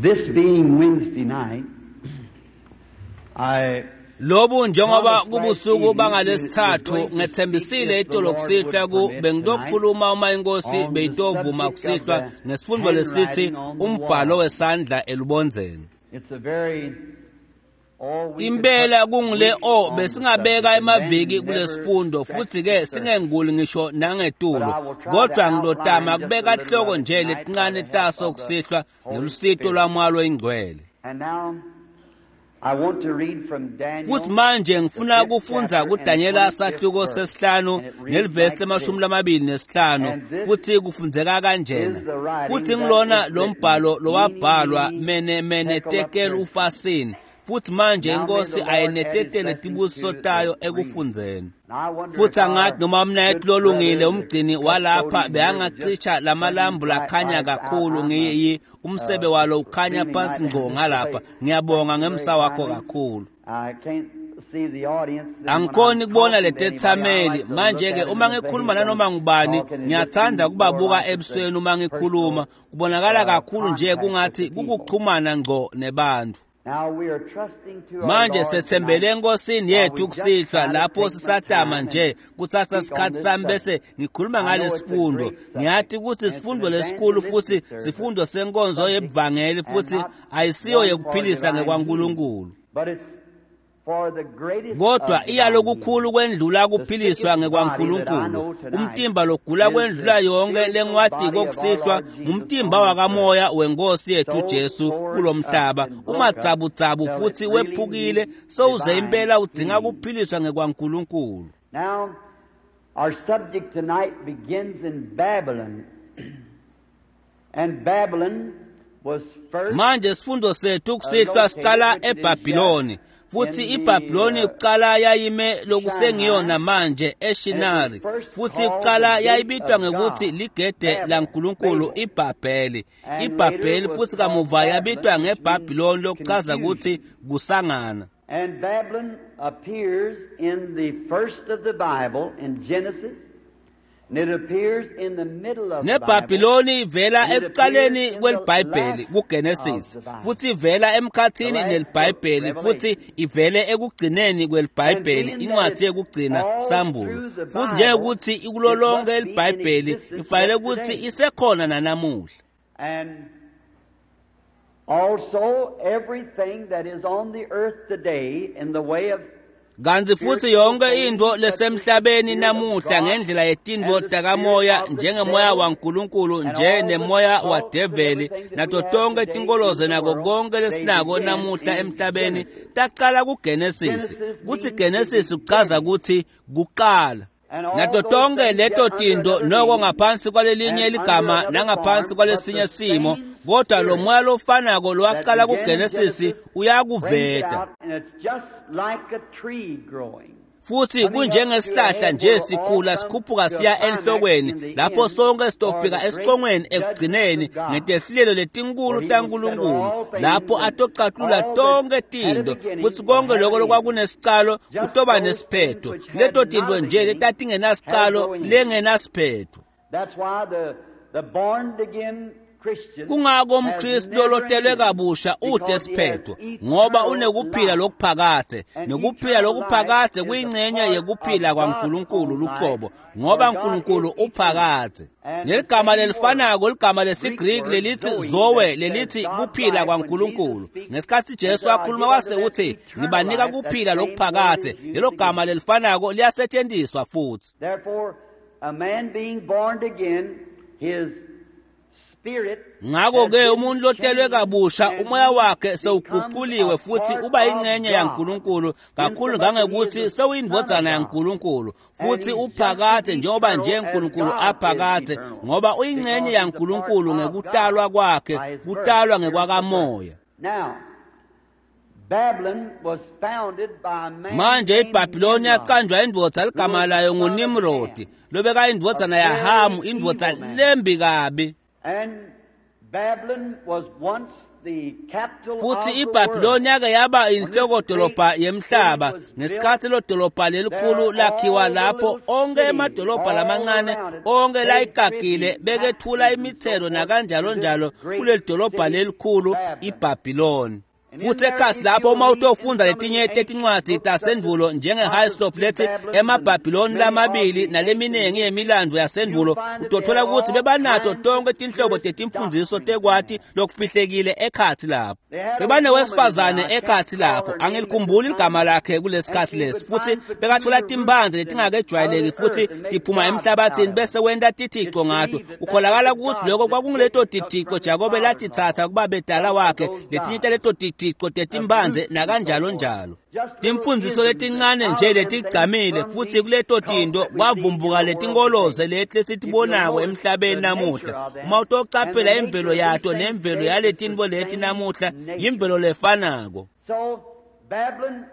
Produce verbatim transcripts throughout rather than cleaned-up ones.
This being Wednesday night, I Lobu njengoba kubusuku bangalesithathu ngethembisile itolo kusihlwa ku bengizokhuluma uma inkosi beyitovuma kusihlwa ngesifundo lesithi umbhalo wesandla elubondzeni. It's a very Impela kungile o besingabeka emaviki kulesifundo futhi ke singenguli ngisho nangetulo kodwa ngilotama kubeka hloko nje letincane taso kusihlwa ngelusito lwamwalo ingcwele. And now I want to read from Daniel. Futhi manje ngifuna kufundza kuDanyela sahluko sesihlanu nelivesi lemashumi lamabili nesihlanu futhi kufundzeka kanjena. Futhi ngilona lo mbhalo lowabhalwa mene mene tekel ufasini. Futhi manje inkosi ayinetetele tibusiso tayo ekufundzeni. Futhi angathi noma umnayethu lolungile umgcini walapha beyangacisha lamalambu lakhanya kakhulu ngiyi umsebe walo ukhanya phansi ngqo ngalapha. Ngiyabonga ngemsa wakho kakhulu. I can't see the audience. Angikhoni kubona letethameli manje ke uma ngikhuluma nanoma ngubani ngiyathanda kubabuka ebusweni uma ngikhuluma kubonakala kakhulu nje kungathi kukuxhumana ngqo nebantu. Now we are trusting to our Manje Lord sethembele tonight. enkosini yethu kusihlwa lapho sisatama nje kuthatha isikhathi sami bese ngikhuluma ngalesifundo. Ngiyathi ukuthi sifundo lesikhulu futhi sifundo senkonzo yebuvangeli futhi ayisiyo yekuphilisa ngekwaNkulunkulu. But it's for the greatest Kodwa of iyalokukhulu kwendlula kuphiliswa ngekwaNkulunkulu. Umtimba logula kwendlula yonke lengwadi kokusihlwa ngumtimba wakamoya wenkosi yethu Jesu kulomhlaba umatsabutsabu futhi wephukile sowuze impela udzinga kuphiliswa ngekwaNkulunkulu. Now, our subject tonight begins in Babylon. And Babylon was first Manje sifundo sethu kusihlwa siqala eBhabhiloni. Futhi iBhabhiloni kuqala yayime lokusengiyona manje eShinari. Futhi kuqala yayibitwa ngekuthi ligede laNkulunkulu iBhabheli. iBhabheli futhi kamuva yabitwa ngeBhabhiloni lokuchaza ukuthi kusangana. And Babylon appears in the first of the Bible in Genesis, and it appears in the middle of the Bible. NeBhabhiloni ivela ekuqaleni kweliBhayibheli kuGenesis futhi ivela emkhathini neliBhayibheli futhi ivele ekugcineni kweliBhayibheli incwadi yekugcina Sambulo. Futhi njengokuthi ikulo lonke eliBhayibheli ifanele ukuthi isekhona nanamuhla. And also everything that is on the earth today in the way of Kanti futhi yonke into lesemhlabeni namuhla ngendlela yetintfo takamoya njengemoya waNkulunkulu nje nemoya wadeveli nato tonke tinkoloze nako konke lesinako namuhla emhlabeni taqala kuGenesis. Kuthi Genesis kuchaza ukuthi kuqala. Nato tonke leto tinto noko ngaphansi kwalelinye ligama nangaphansi kwalesinye simo kodwa lo moya lofanako lowaqala kuGenesis uyakuveta. And it's just like a tree growing. Futhi kunjengesihlahla nje sikhula sikhuphuka siya enhlokweni lapho sonke sitofika esicongweni ekugcineni ngetehlelo letinkulu taNkulunkulu lapho atocathula tonke tinto futhi konke lokho lokwakunesicalo kutoba nesiphetho leto tinto nje letatingenasicalo lengenasiphetho. That's why the, the born again Christian Kungako has umKristu never lolotelwe ended kabusha ude because he has siphetho ngoba eternal unekuphila life. lokuphakadze And nekuphila eternal lokuphakadze life is a kuyingxenye part yekuphila of God's kwaNkulunkulu own luqobo life, ngoba for God uNkulunkulu is eternal. uphakadze. And the Neligama same lelifanako word, ligama Greek lesiGriki word lelithi zoe, zoe that says lelithi God's kuphila life, when kwaNkulunkulu. Jesus speaks Ngesikhathi and Jesu said, I akhuluma give unto wase them uthi eternal ngibanika life, that kuphila same word lokuphakadze is used lelo again. gama lelifanako liyasetshenziswa futhi. Therefore, a man being born again, his spirit Ngakho has ke been umuntu lotelwe changed kabusha and umoya he wakhe becomes sewuguquliwe a futhi part uba of ingxenye God. yaNkulunkulu kakhulu Insomuch that he ngangokuthi is the Son of sewuyindvodzana God. yaNkulunkulu And futhi he's just as uphakadze njengoba nje eternal as uNkulunkulu God is aphakadze eternal. ngoba uyingxenye Because he's a part yaNkulunkulu of ngekutalwa God kwakhe by his birth, kutalwa spiritual birth. ngekwakamoya. Now, Babylon was founded by a man Manje named iBhabhiloni Nimrod, yaqanjwa indvodza who ligama was the layo son of nguNimrodi Ham, lobeka a indvodzana very yaHamu indvodza evil man. lembi kabi. And Futhi iBhabhiloni yake yaba inhlokodolobha yemhlaba ngesikhathi lo dolobha lelikhulu lakhiwa lapho onke emadolobha lamancane onke layigagile bekethula imithelo nakanjalo njalo kuleli dolobha lelikhulu iBhabhiloni. Futhi ekhasi lapho uma utofunda letinye tetincwadzi tasendvulo njenge-Hislop lethi emaBhabhiloni lamabili naleminingi yemilandvo yasendvulo, utothola ukuthi bebanato tonke tinhlobo tetimfundiso tekwati lokufihlekile ekhatsi lapho. Bebanewesifazane ekhatsi lapho, angilikhumbuli ligama lakhe kulesikhatsi lesi, futhi bekathola timphandze letingakejwayeleki futhi tiphuma emhlabathini bese wenta tithico ngato. Kukholakala ukuthi lokho kwakunguleto tithico Jakobe latitsatsa kubabedala wakhe, letinye taleto tithico tetimphandze nakanjalo njalo. Timfundiso letincane nje letigcamile futhi kuleto tinto kwavumbuka letinkoloze leti lesitibonako emhlabeni namuhla. Uma utocaphela imvelo yato nemvelo yaletinto leti namuhla, yimvelo lefanako. So Babylon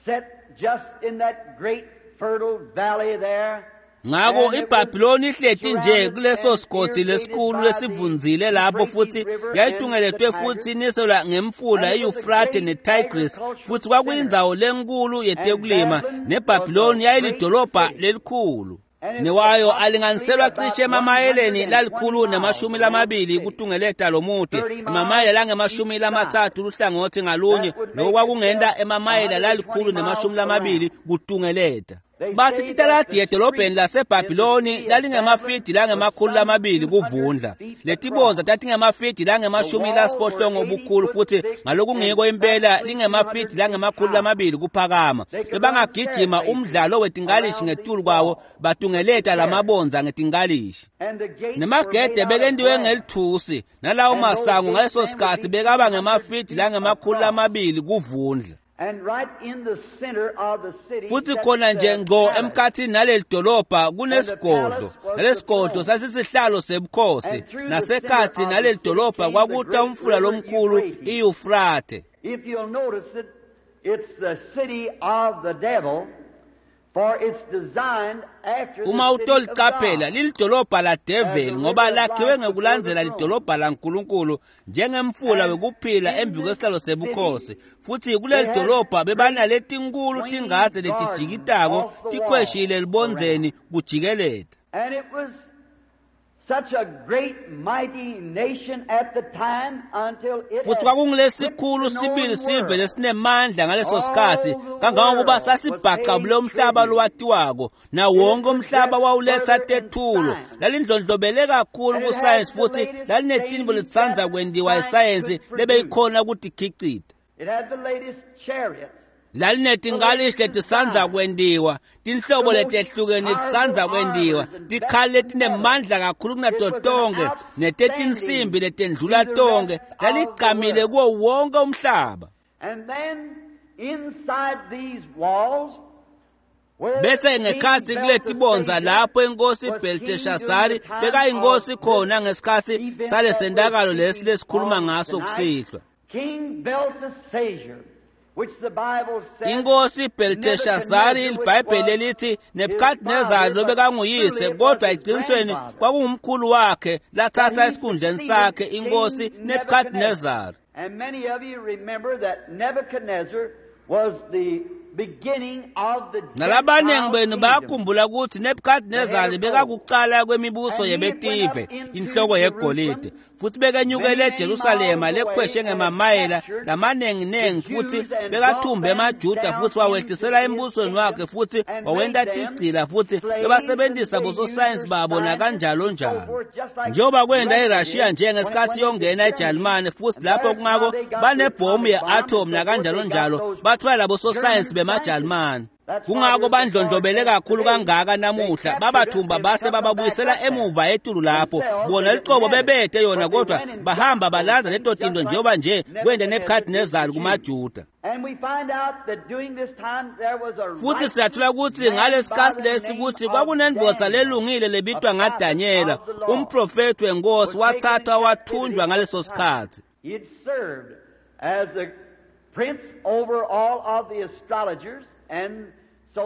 set just in that great fertile valley there. Ngako iBhabhiloni ihleti nje kuleso sigodzi lesikhulu lesivundzile lapho futhi yayitungeletwe futhi iniselwa ngemfula iYufrathe neTigris, futhi kwakuyindzawo lenkulu yetekulima, neBhabhiloni yayilidolobha lelikhulu. Newayo alinganiselwa cishe emamayeleni lalikhulu nemashumi lamabili kutungeleta lomuti, emamayela langemashumi lamatsatfu luhlangothi ngalunye, lokho kwakungenta emamayela lalikhulu nemashumi lamabili kutungeleta. Bathi titaladi edolobheni laseBhabhiloni lalingemafidi langemakhulu lamabili kuvundla. Letibondza tatingemafidi langemashumi lasiphohlongo obukhulu futhi ngalokungiko impela lingemafidi langemakhulu lamabili kuphakama. Bebangagijima umdlalo wetinkalishi ngetulu kwawo batungeleta lamabondza ngetinkalishi. Nemagede bekentiwe ngelithusi nalawo masango ngaleso sikhatsi bekaba ngemafidi langemakhulu lamabili kuvundla. Futhi khona nje ngqo emkhathini naleli dolobha kunesigodlo, nalesigodlo sasisihlalo sebukhosi, nasekhathi naleli dolobha kwakuta umfula lomkhulu iYufrathe. If you'll notice it, it's the city of the devil, for it's designed after the Uma city of utoliqaphela God. lilidolobha ladeveli ngoba lakhiwe ngekulandzela lidolobha laNkulunkulu njengemfula wekuphila embi kwesihlalo sebukhosi. Futhi kuleli dolobha bebanaletinkulu tingadze letijikitako tikhweshile libondzeni kujikeleta. And it was such a great mighty nation at the time until it Futhi had kwakungulesikhulu gripped the known sibili sive world. lesinemandla ngaleso sikhatsi kangangokuba sasibhaqabule umhlaba lowatiwako, nawonke umhlaba wawuletha tethulo. Lalindlondlobele kakhulu kusayensi futhi lalinetinto letitsandza kwentiwa isayensi lebeyikhona kutikhicita. It had the latest chariots. Lalinetinkalishi letisandza kwentiwa, tinhlobo letehlukene tisandza kwentiwa, tikhali letinemandla kakhulu kunato tonkhe netetinsimbi letendlula tonkhe. Laligqamile kuwo wonke umhlaba. And then inside these walls, where Bese King ngekhatsi kuletibondza Belteshazzar lapho inkosi was king during Belteshazzari the time bekayinkosi of khona this ngesikhatsi event that salesentakalo we're lesi speaking lesikhuluma of ngaso tonight, kusihlwa. King Belteshazzar, which the Bible says Inkosi Belteshazzari Nebuchadnezzar, which iBhayibheli was elithi his Nebuchadnezzar father, but lobekanguyise truly it kodwa was his eqinisweni grandfather. kwakungumkhulu wakhe lathatha And he esikhundleni succeeded sakhe King inkosi Nebuchadnezzar. And many of you remember that Nebuchadnezzar was the beginning of the Nalabaningi Gentile benu kingdom. bayakhumbula ukuthi Nebuchadnezzar bekakuqala kwemibuso yebetive, inhloko yegolide, futhi bekenyukele eJerusalema lekhweshe ngemamayela lamaningi-ningi, futhi bekathumbe emaJuda futhi wawehlisela embusweni wakhe futhi wawenta tigcila futhi bebasebenzisa bososayensi babo nakanjalo njalo. Njengoba kwenta iRussia nje ngesikhathi yongena eJalimane futhi lapho kungako banebhomu ye-atom nakanjalo njalo, bathola labo sosayensi bemaJalimane. Kungako bandlondlobele kakhulu kangaka namuhla, babathumba base bababuyisela emuva etulu lapho. Bona liqobo bebethe yona kodwa bahamba balanza leto tinto njengoba nje kwenta Nebuchadnezzar kumaJuda. And we find out that during this time there was a Futhi siyathola ukuthi ngalesikhatsi lesi ukuthi kwakunendvodza lelungile lebitwa ngaDanyela, umprofethi wenkosi, wathathwa wathunjwa ngaleso sikhatsi. He had served as a prince over all of the astrologers and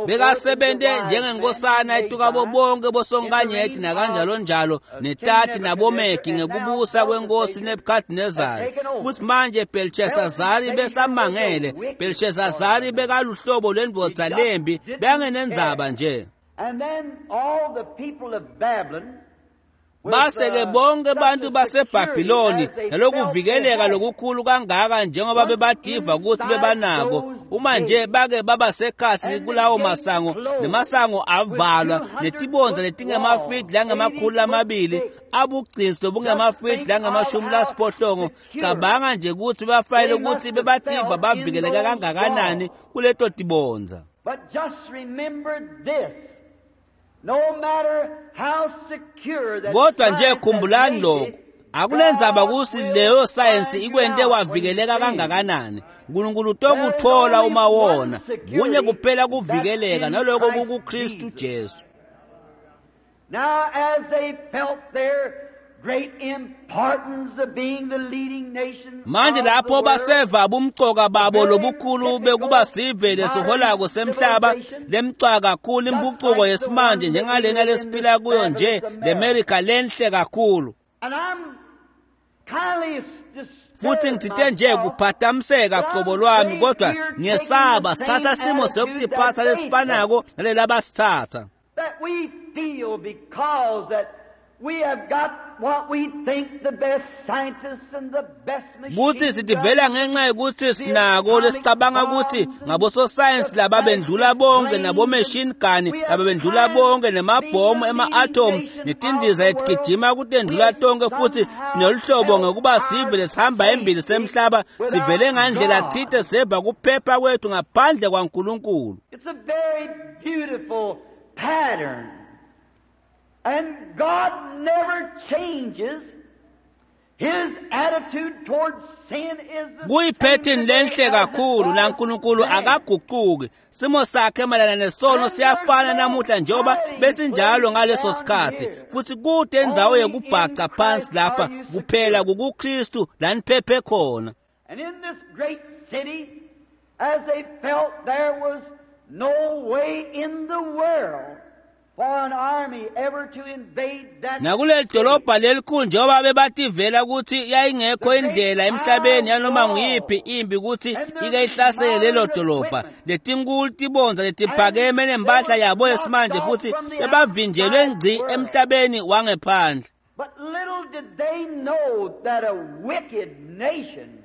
Bekasebenze njengenkosana etukabo bonke bosonkanyeti nakanjalo njalo netati nabomegi ngekubusa kwenkosi Nebuchadnezzar. Futhi manje Belshazari besamangele. Belshazari bekaluhlobo lwendvodza lembi, bekangenendzaba nje. And then all the people of Babylon Base-ke bonke bantu baseBhabhiloni nalokuvikeleka lokukhulu kangaka njengoba bebadiva ukuthi bebanako, uma nje bake baba sekhatsi kulawo masango, nemasango avalwa netibondza letingemafidi langemakhulu lamabili abugcinsi lobungemafidi langemashumi lasiphohlongo. Cabanga nje ukuthi bafanele ukuthi bebadiva bavikeleka kangakanani kuleto tibondza. But just remember this. No matter how secure that Kodwa nje khumbulani lokho, akunendzaba kusi leyo sayensi ikwente wavikeleka kangakanani, uNkulunkulu utokuthola uma wona. Kunye kuphela kuvikeleka, naloko kukuKristu Jesu. Now as they felt their great importance of being the leading nation Manje lapho baseva bumcoka babo lobukhulu bekuba sive lesiholako semhlaba, lemcwa kakhulu impucuko yesimanje njengalena lesiphila kuyo nje, leMerica lenhle kakhulu. And I'm kindly Futhi ngithinte nje kuphathamiseka qobo lwami, kodwa ngiyesaba sithatha simo sokutiphatha lesifanako nalelabasithatha. that we feel because that we have got what we think the best scientists and the best Kuthi machine sitivela ngenxa yokuthi sinako lesicabanga ukuthi ngabososayensi laba bendlula bonke, nabo-machine gun laba bendlula bonke, nemabhomu ema-atom netindiza letigijima kutendlula tonke, futhi sinoluhlobo ngekuba sive lesihamba embili semhlaba, sivele ngandlela thite seva kuphepha kwethu ngaphandle kwaNkulunkulu. It's a very beautiful pattern. And God never changes. His attitude towards sin is the Kuyiphethini same lenhle today as it kakhulu, was naNkulunkulu then. akaguquki. Simo sakhe mayelana nesono siyafana namuhla njengoba besinjalo ngaleso sikhathi. Futhi kude indzawo yekubhaca phansi lapha kuphela kukuKristu la niphephe khona. And in this great city, as they felt there was no way in the world for an army ever to invade that Nakuleli dolobha lelikhulu njengoba bebativela ukuthi yayingekho indlela emhlabeni yanoma nguyiphi impi ukuthi ike ihlasele lelo dolobha, letinkulu tibondza letiphakeme nempahla yabo yesimanje, futhi bebavinjelwe ngci emhlabeni wangephandle. But little did they know that a wicked nation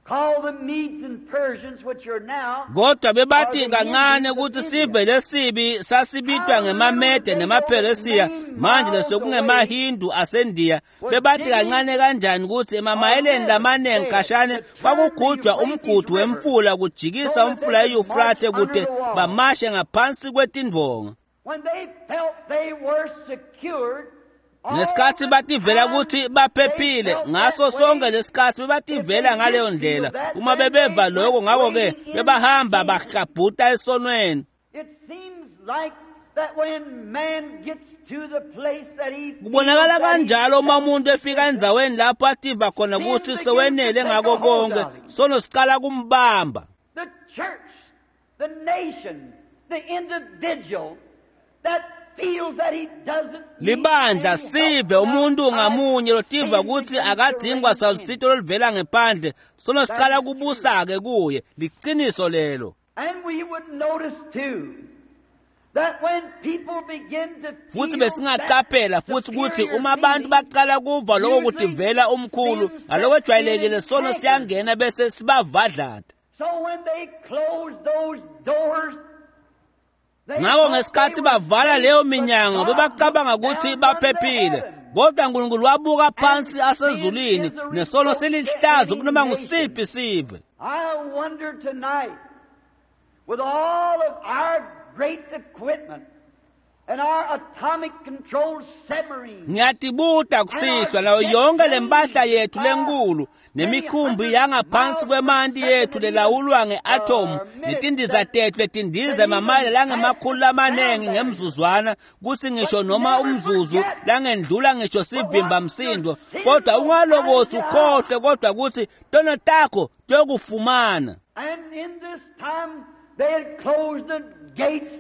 called the Medes and Persians, which are now Kodwa bebathi kancane ukuthi sive lesibi sasibitwa ngemaMede nemaPheresiya, manje lesokungemaHindu aseNdiya. Bebathi kancane kanjani ukuthi emamayeleni lamaningi khashane kwakugujwa umgudu wemfula kujikisa umfula iYufrathe kude bamashe ngaphansi kwetindvonga. when they felt they were secured. all Ngesikhathi the bativela time ukuthi baphephile, they felt ngaso that sonke way. lesikhathi bebativela ngaleyo ndlela. Uma bebeva lokho, ngakho-ke bebahamba bahlabhuta esonweni. It seems like that when man gets to the place that he Kubonakala feels that he kanjalo uma umuntu efika endzaweni lapho ativa khona ukuthi sewenele ngako konke, sono siqala kumbamba. the church, the nation, the individual that feels that he doesn't need Libandla any help sive umuntu outside, ngamunye lotiva sin ukuthi begins to akadingwa reign in. salusito oluvela ngephandle, sono siqala kubusa-ke kuye. Liqiniso lelo. And we would notice too that when people begin to Futhi feel besingaqaphela that futhi ukuthi superior uma abantu feeling, baqala kuva lokho kutivela umkhulu, ngalokwejwayelekile sono siyangena bese sibavadlada. So when they closed those doors, they Ngakho thought ngesikhathi they were bavala safe, leyo but minyango God bebacabanga looked ukuthi down from the baphephile, heavens. kodwa uNkulunkulu wabuka phansi asezulwini, nesono silihlazo kunoma ngusiphi sive. I wonder tonight, with all of our great equipment and our atomic controlled submarines, Ngiyatibuta kusihlwa nayo yonke lempahla yethu lenkulu nemikhumbi yangaphansi kwemanti yethu lelawulwa nge-atomu netindiza tethu letindiza emamayela langemakhulu lamanengi ngemzuzwana, kuthi ngisho noma umzuzu langendlula ngisho sivimba msindo, kodwa ungalokothi ukhohlwe kodwa ukuthi tono takho tiyokufumana. and in this time they had closed the gates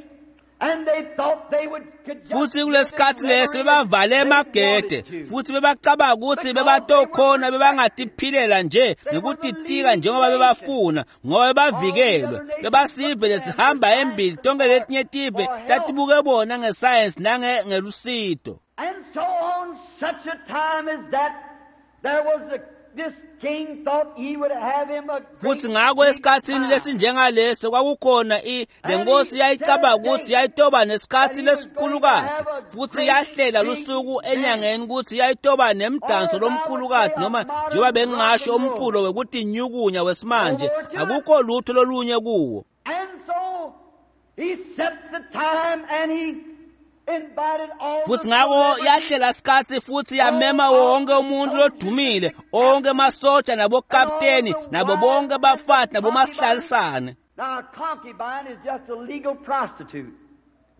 and they thought they would could just Futhi live kulesikhathi in lesi revelry bebavale as they emagede wanted to. futhi bebacabanga ukuthi bebatokhona bebangatiphilela nje ngekutitika njengoba bebafuna ngoba bebavikelwe bebasive lesihamba embili tonke letinye tive tatibuke bona ngesayensi nangelusito. And so on such a time as that, there was a, this king thought he would have him a great Futhi ngakho big esikhathini time. lesinjengaleso kwakukhona i le nkosi yayicabanga ukuthi yayitoba nesikhathi lesikhulukati futhi yahlela lusuku enyangeni ukuthi yayitoba nemdanso lomkhulukati noma njengoba bengingasho umculo wekutinyukunya wesimanje akukho lutho lolunye kuwo. And so he set the time and he invited all Futhi the ngakho celebrities. yahlela isikhathi futhi yamema wonke umuntu lodumile onke amasotsha nabokapteni nabo bonke abafati nabomasihlalisane. Now a concubine is just a legal prostitute.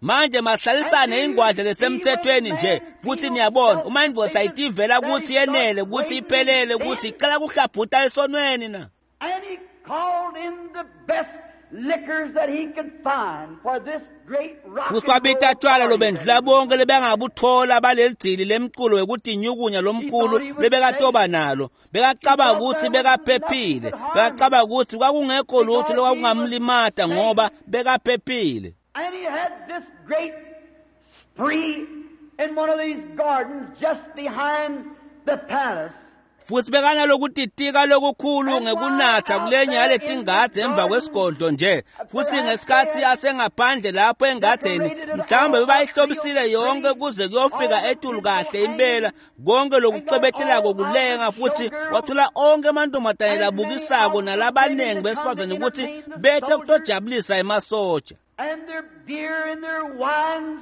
Manje masihlalisane ingwadla lesemthethweni nje futhi niyabona uma indvodza ayitivela ukuthi yenele ukuthi iphelele ukuthi icela kuhlabhuta esonweni na. And he called in the best liquors that he could find for this great rock Futhi and wabita roll tshwala party lobendlula that he bonke lebengabuthola baleli dzili lemculo wekutinyukunya lomkhulu lebekatoba nalo bekacabanga ukuthi bekaphephile bekacabanga ukuthi kwakungekho lutho lokwakungamlimata ngoba bekaphephile. And he had this great spree in one of these gardens just behind the palace. Futhi bekanalokutitika lokukhulu ngekunatha kulenye yaletingadze emva kwesigodlo nje futhi ngesikhathi asengaphandle lapho engadzeni mhlawumbe bebayihlobisile yonke kuze kuyofika etulu kahle impela konke lokucwebetelako kulenga futhi wathola onke amantombazane labukisako nalabaningi besifazane ukuthi bete kutojabulisa emasotsha. And their beer and their wines.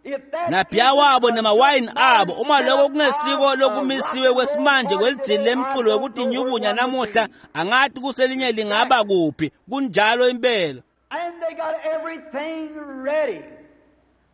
If that Nabhiya wabo isn't a nemawayini good abo uma modern lokho setup kungesiko of a lokumisiwe rock and kwesimanje roll kwelidzili party today, I lemculo don't know where wekutinyukunya one would namuhla be. angathi kuselinye lingaba kuphi kunjalo impela. And they got everything ready.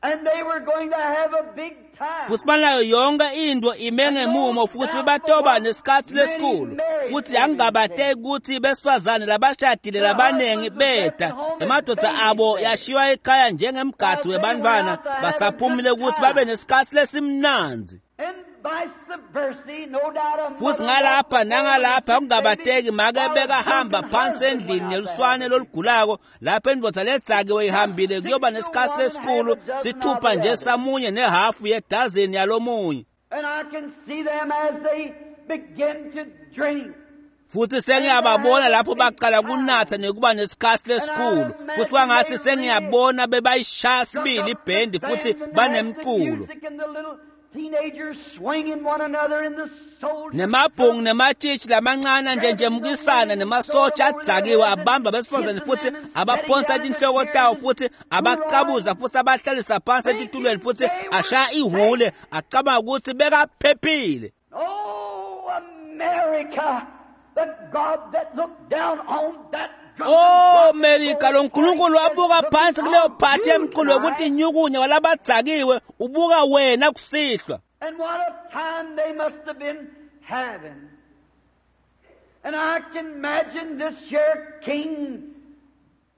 And they were going to have a big time. Futhi banayo yonke into ime ngemumo futhi bebatoba nesikhathi lesikhulu futhi angingabateki ukuthi besifazane labashadile labaningi beda emadoda abo yashiywa ekhaya njengemgadi webantwana basaphumile ukuthi babe nesikhathi lesimnandzi. And vice versa, no doubt a Futhi mother ngalapha walked nangalapha before kungabateki make while a bekahamba drunken phansi husband endlini went out to neluswane have a lolugulako lapho indvodza ledzakiwe ihambile kuyoba nesikhathi lesikhulu sithupha nje samunye nehafu yedazeni yalomunye. And I can see them as they begin to drink. Futhi sengiyababona lapho baqala kunatha nekuba nesikhathi lesikhulu futhi kwangathi sengiyabona bebayishaya sibili ibhendi futhi banemculo nemabhungu nematshitshi lamancane njenjemukisana nemasotsha adzakiwe abamba besifazane futhi abaphonsa tinhloko tawo futhi abacabuza futhi abahlalisa phansi etitulweni futhi ashaya ihhule acabanga ukuthi bekaphephile. Oh, America, the God that looked down on that drunken Oh rock and Melika roll lo nkulunkulu party wabuka said, phansi "Look kuleyo on phathi you yemculo tonight." yokuthi inyukunya walabadzakiwe ubuka wena kusihlwa. And what a time they must have been having. And I can imagine this here king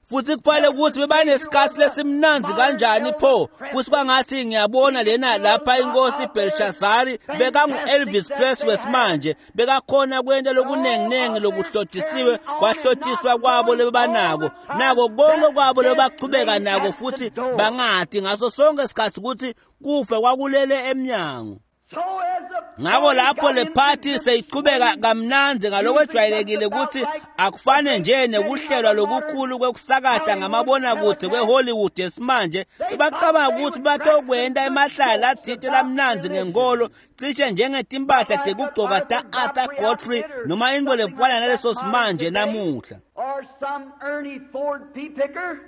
Futhi kufanele ukuthi bebanesikhathi lesimnandzi kanjani pho futhi kwangathi ngiyabona lena lapha inkosi Belshazari bekangu-Elvis Presley wesimanje bekakhona kwenta lokunenginengi lokuhlotshisiwe kwahlotshiswa kwabo lebebanako nako konke kwabo lebebachubeka nako futhi bangati ngaso sonke isikhathi ukuthi kufa kwakulele emnyango. So as the Ngakho lapho party le got party into seyichubeka kamnandzi ngalokwejwayelekile ukuthi akufane nje nekuhlelwa lokukhulu kwekusakata ngamabonakude kweHollywood yesimanje bebacabanga ukuthi batokwenta emahlaya athite lamnandzi ngenkolo cishe njengetimpahla tekugcoka ta-Arthur Godfrey noma intfo lefana naleso simanje namuhla. Or some Ernie Ford pea picker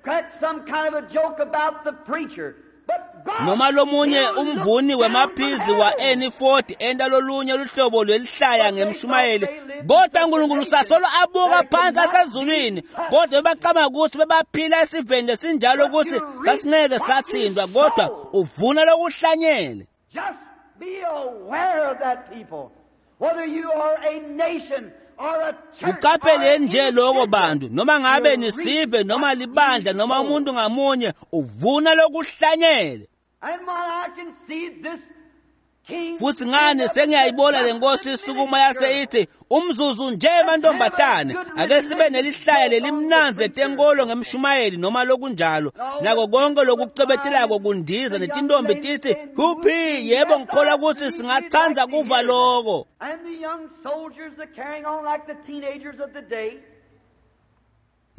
cracked some kind of a joke about the preacher. But God Noma lomunye still umvuni looked down from wemaphizi heaven. wa-Ernie Ford enta lolunye luhlobo lwelihlaya ngemshumayeli kodwa uNkulunkulu sasolo abuka phansi asezulwini kodwa bebacabanga ukuthi bebaphila esiveni lesinjalo ukuthi sasingeke sathintwa kodwa uvuna lokuhlanyele. Just be aware of that, people. Whether you are a nation Uqapheleni nje lokho bantu, noma ngabe nisive noma libandla noma umuntu ngamunye uvuna lokuhlanyele. Futhi ngane sengiyayibona lenkosi isukuma yase ithi umzuzu nje mantombazane ake sibe nelihlaya lelimnanzi letenkolo ngemshumayeli noma lokunjalo nako konke lokucebetelako kundiza netintombi tithi huphi yebo ngikholwa ukuthi singatsandza kuva loko.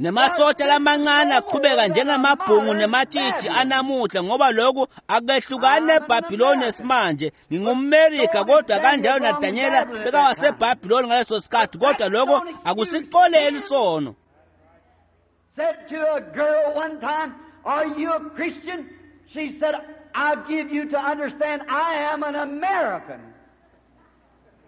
Nemasotsha lamancane aqhubeka njengamabhungu nematshitshi anamuhla ngoba lokhu akehlukani neBhabhiloni esimanje. NgingumMerika kodwa kanjalo naDanyela bekawaseBhabhiloni ngaleso sikhathi, kodwa lokho akusicoleli sono. Said to a girl one time, "Are you a Christian?" She said, "I'll give you to understand I am an American."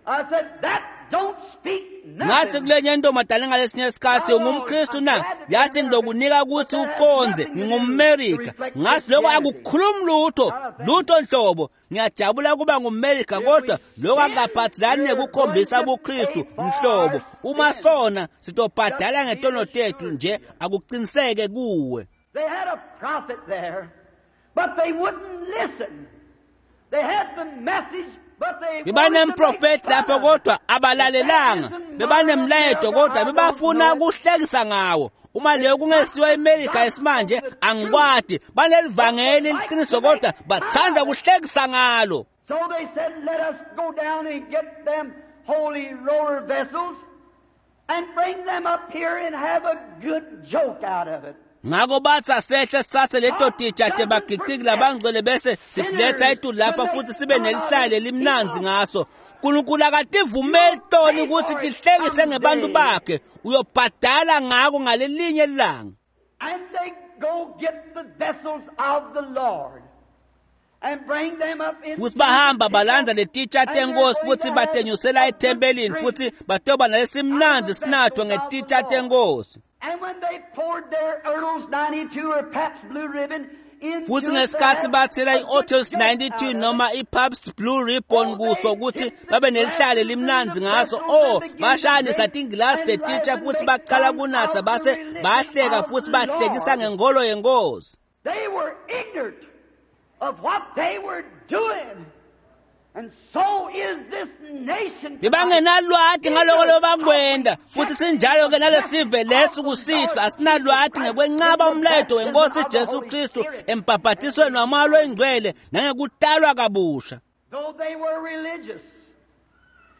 I said, "That don't speak nothing." Ngathi kulenye intombazane ngalesinye isikhathi, ungumKristu na? Yathi ngilokunika ukuthi uqonze ngingumMerika. Ngathi lokho akukhulumi lutho, lutho nhlobo. Ngiyajabula kuba ngumMerika kodwa lokho akaphathelani nekukhombisa ubuKristu nhlobo. Uma sona sitobhadala ngetono tethu nje akuqiniseke kuwe. They had a prophet there, but they wouldn't listen. They had the message. Bebanemprofeti lapho kodwa abalalelanga, bebanemlayeto kodwa bebafuna ukuhlekisa ngawo. Uma leyo kungesiwa iMerika esimanje angikwadi, banelivangeli liqiniso kodwa bathanda ukuhlekisa ngalo. So they said, "Let us go down and get them holy roller vessels and bring them up here and have a good joke out of it." Ngakho bathi asehle sithathe leto titsha tebagiciki labangcwele bese siletha etulu lapha futhi sibe nelihlaya lelimnanzi ngaso. uNkulunkulu akativumeli toni ukuthi tihlekise ngebantu bakhe, uyobhadala ngako ngalelinye ilanga. And they go get the vessels of the Lord and bring them up in. Futhi bahamba balanza letitsha tenkosi futhi batenyusela ethempelini futhi batoba nalesimnanzi sinathwa ngetitsha tenkosi. And when they poured their Earl's ninety-two or Pabst Blue Ribbon into futhi ngesikhathi bathela i-Otters ninety-two noma i-Pabst Blue Ribbon kuso ukuthi babe nelihlale limnanzi ngaso, oh bashanisa tingilasi tetitsha futhi baqala kunatha base bahleka futhi bahlekisa ngenkolo yenkosi. They were ignorant of what they were doing. And so is this nation. Bebangenalwati ngaloko lobakwenda futhi sinjalo ke nalesive lesi kusihlwa asinalwati ngekwenqaba umlayeto wenkosi Jesu Kristu embhabhatisweni wamoya loyingcwele nangekutalwa kabusha. Though they were religious.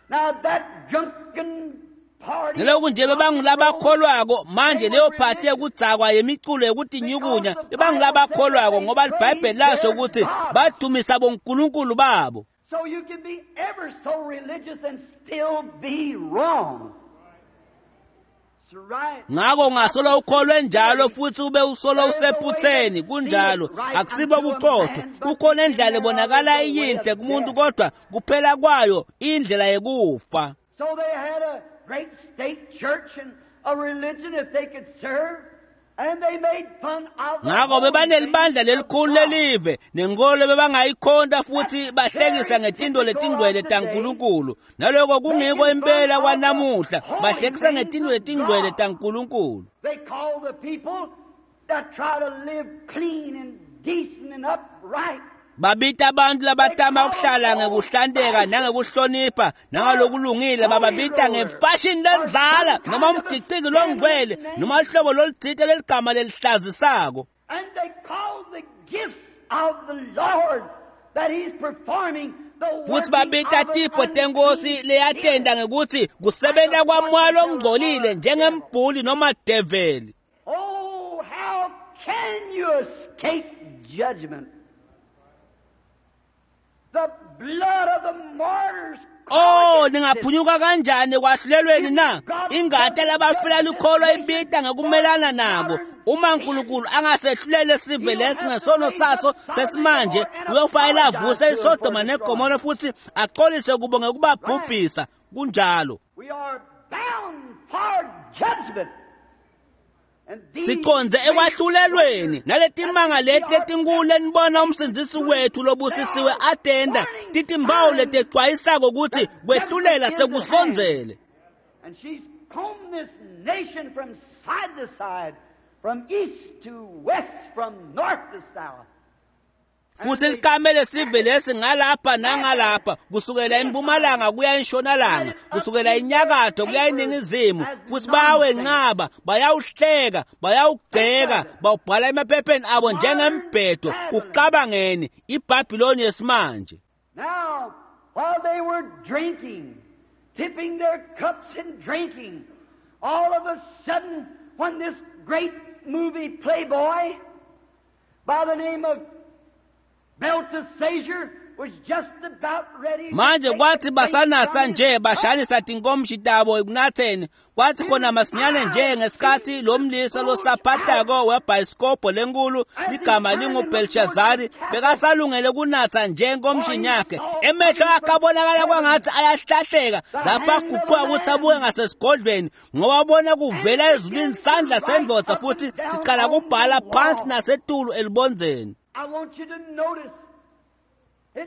Now that drunken party. Naloku nje bebangulabakholwako manje leyo phathi yekudzakwa yemiculo yekutinyukunya bebangulabakholwako ngoba iBhayibheli lasho ukuthi badumisa bonkulunkulu babo. So you can be ever so religious and still be wrong. Right. Ngakho ungasolo ukholwe njalo futhi ube usolo usephutheni kunjalo akusibo buqotho. Kukhona indlela ebonakala iyinhle kumuntu kodwa kuphela kwayo indlela yekufa. So they had a great state church and a religion that they could serve. And they made fun of the Ngakho bebanelibandla lelikhulu lelive nenkolo bebangayikhonta futhi bahlekisa ngetinto letingcwele taNkulunkulu. Naloko kungiko impela kwanamuhla, bahlekisa ngetinto letingcwele taNkulunkulu. They call the people that try to live clean and decent and upright. Babita abantu labatama ukuhlala ngekuhlanteka nangekuhlonipha nangalokulungile bababita ngefashion lenzala noma umgiciki longcwele noma uhlobo loluthile leligama lelihlazisako. And they call the gifts of the Lord that he's performing the Futhi babita tipho tenkosi leyatenda ngekuthi kusebenta kwamoya longcolile njengembhuli noma develi. Oh, how can you escape judgment? The blood of the martyrs. Oh, ningaphunyuka kanjani kwahlulelweni na? Ingati labafela likholwa ibita ngekumelana nabo. Uma uNkulunkulu angasehlulele sive lesi ngesono saso sesimanje, uyofanele avuse iSodoma neGomora futhi axolise kubo ngekubabhubhisa. Kunjalo. We are bound for judgment. Siqonze ekwahlulelweni naletimanga leti letinkulu enibona umsindzisi wethu lobusisiwe atenda titimbawu letecwayisako ukuthi kwehlulela sekusondzele. And she's combed this nation from side to side, from east to west, from north to south. Futhi likamele sive lesi ngalapha nangalapha, kusukela empumalanga kuya entshonalanga, kusukela enyakatho kuya eningizimu, futhi bayawenqaba, bayawuhleka, bayawugceka, bawubhala emaphepheni abo njengembhedo. Kucabangeni iBhabhiloni yesimanje. Now, while they were drinking, tipping their cups and drinking, all of a sudden, when this great movie playboy by the name of Belteshazzar was just about ready. Manje kwathi basanatsa nje bashanisa tinkomshi tabo ekunatheni, kwathi khona masinyane nje ngesikhathi lo mlisa losaphatako webhayisikobho lenkulu ligama linguBelshazari bekasalungele kunatsa nje enkomshini yakhe, emehlo akhe abonakala kwangathi ayahlahleka lapho aguquka ukuthi abuke ngasesigodlweni, ngoba abona kuvela ezulwini sandla sendvodza futhi sicala kubhala phansi nasetulu elibondzeni. I want you to notice.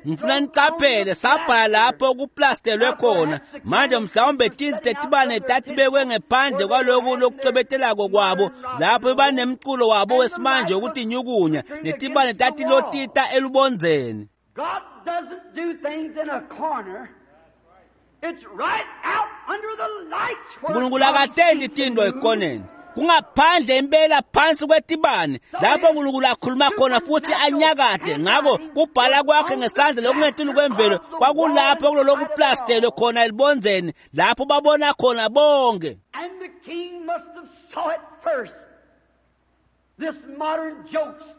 Ngifuna niqaphele sabhala lapho kuplastelwe khona. Manje mhlawumbe tintsi tetibane tatibekwe ngephandle kwaloku lokucwebetelako kwabo, lapho banemculo wabo wesimanje wokutinyukunya, netibane tatilotita elubondzeni. God doesn't do things in a corner. It's right out under the lights where uNkulunkulu akatendi tintfo ekoneni. Kungaphandle impela phansi kwetibane lapho uNkulunkulu akhuluma khona futhi anyakade. Ngakho kubhala kwakhe ngesandla lokungetulu kwemvelo kwakulapho kulolokuplastellwe khona elibondzeni, lapho babona khona bonke. And the king must have saw it first. This modern jokester.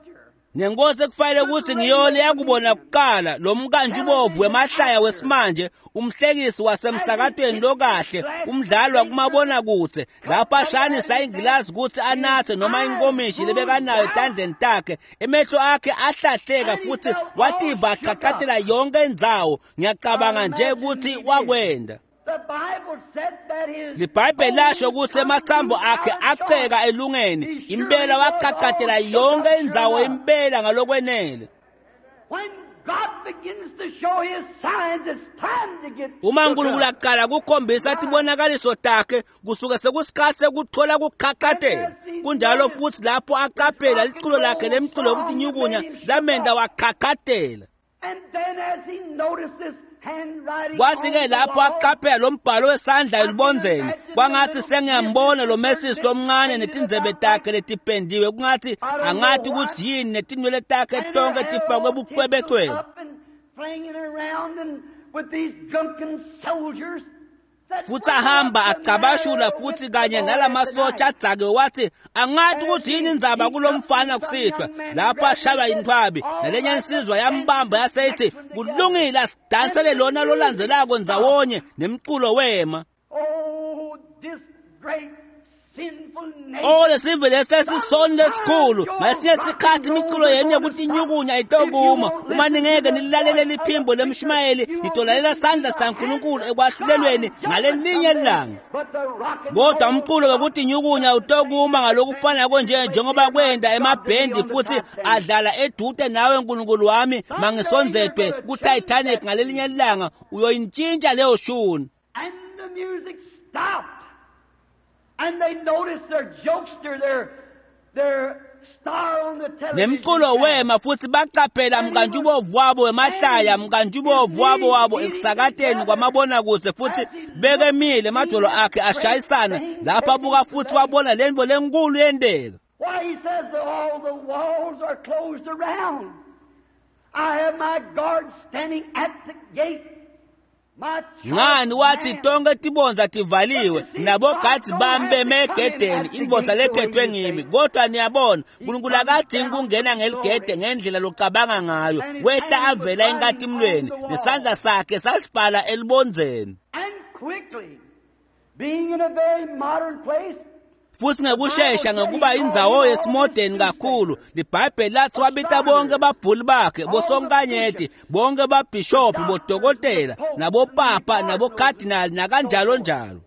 Nenkosi ekufanele ukuthi ngiyo leyakubona kuqala lo mkantshubovu wemahlaya wesimanje, umhlekisi wasemsakatweni lokahle, umdlali wakumabonakude, lapho ashanisa ingilazi ukuthi anathe noma inkomishi lebekanayo etandleni takhe, emehlo akhe ahlahleka futhi wativa aqhaqhathela yonke indzawo. Ngiyacabanga nje ukuthi wakwenda. The Bible said that his LiBhayibheli lasho ukuthi emathambo akhe aceka elungeni, impela waqhaqhathela yonke indzawo impela ngalokwenele. When God begins to show his signs, it's time to get Uma uNkulunkulu aqala kukhombisa tibonakaliso takhe, kusuke sekusikhathi sekuthola kuqhaqhathela. Kunjalo futhi lapho aqaphela liculo lakhe lemculo yokuthi lamenda waqhaqhathela. And then as he noticed this handwriting Kwathi ke on the lapho wall, aqaphela lo mbhalo wesandla elibondzeni, kwangathi sengiyambona lo Messi lomncane netindzebe takhe letipendiwe, kungathi angathi ukuthi yini netinwele takhe and her tonke hair tifakwe all bucwebecwebe. tinsel up and flinging around and with these drunken soldiers. Said, Futhi ahamba "What's the acabashula matter futhi with kanye the boy nalamasotsha tonight?" adzake wathi angathi ukuthi yini indzaba kulomfana kusihlwa. Lapho ashaywa intfwabi nalenye insizwa yambamba yaseyithi kulungile asidansele lona lolandzelako ndzawonye, nemculo wema. Oh, this great sinful nation. Oh, lesive lesi esisoni lesikhulu. Ngesinye isikhathi imiculo yenu yokuthi inyukunya itokuma. Uma ningeke nilalele liphimbo lemshumayeli, nitolalela sandla saNkulunkulu ekwahlulelweni ngalelinye ilanga. But the rock and Kodwa roll umculo wokuthi inyukunya utokuma ngalokufana nje njengoba kwenda emabhendi futhi adlala edude nawe nkulunkulu wami mangisondzedwe ku-Titanic ngalelinye ilanga, uyoyintshintsha leyo shuni. And the music stopped. And they noticed their jokester, their, their star on the television. Nemculo wema futhi baqaphela mkantshubovu wabo wemahlaya, mkantshubovu wabo wabo ekusakateni kwamabonakude, futhi bekemile emadolo akhe ashayisana lapho abuka futhi wabona lento lenkulu yenteka. Why, he says that all the walls are closed around. I have my guard standing at the gate. My Ngani wathi man. tonke tibondza tivaliwe nabogadzi bami beme egedeni, indvodza lekhethwe ngimi. Kodwa niyabona, uNkulunkulu akadingi kungena ngeligede ngendlela locabanga ngayo. Wehla avela enkatimlweni, nesandla sakhe sasibhala elibondzeni. And quickly, being in a very modern place, Futhi ngekushesha ngokuba indzawo yesimodeni kakhulu, liBhayibheli lathi wabita bonke babhuli bakhe, bosonkanyeti, bonke babhishophi, bodokotela, nabopapa, nabokadinali, nakanjalo njalo.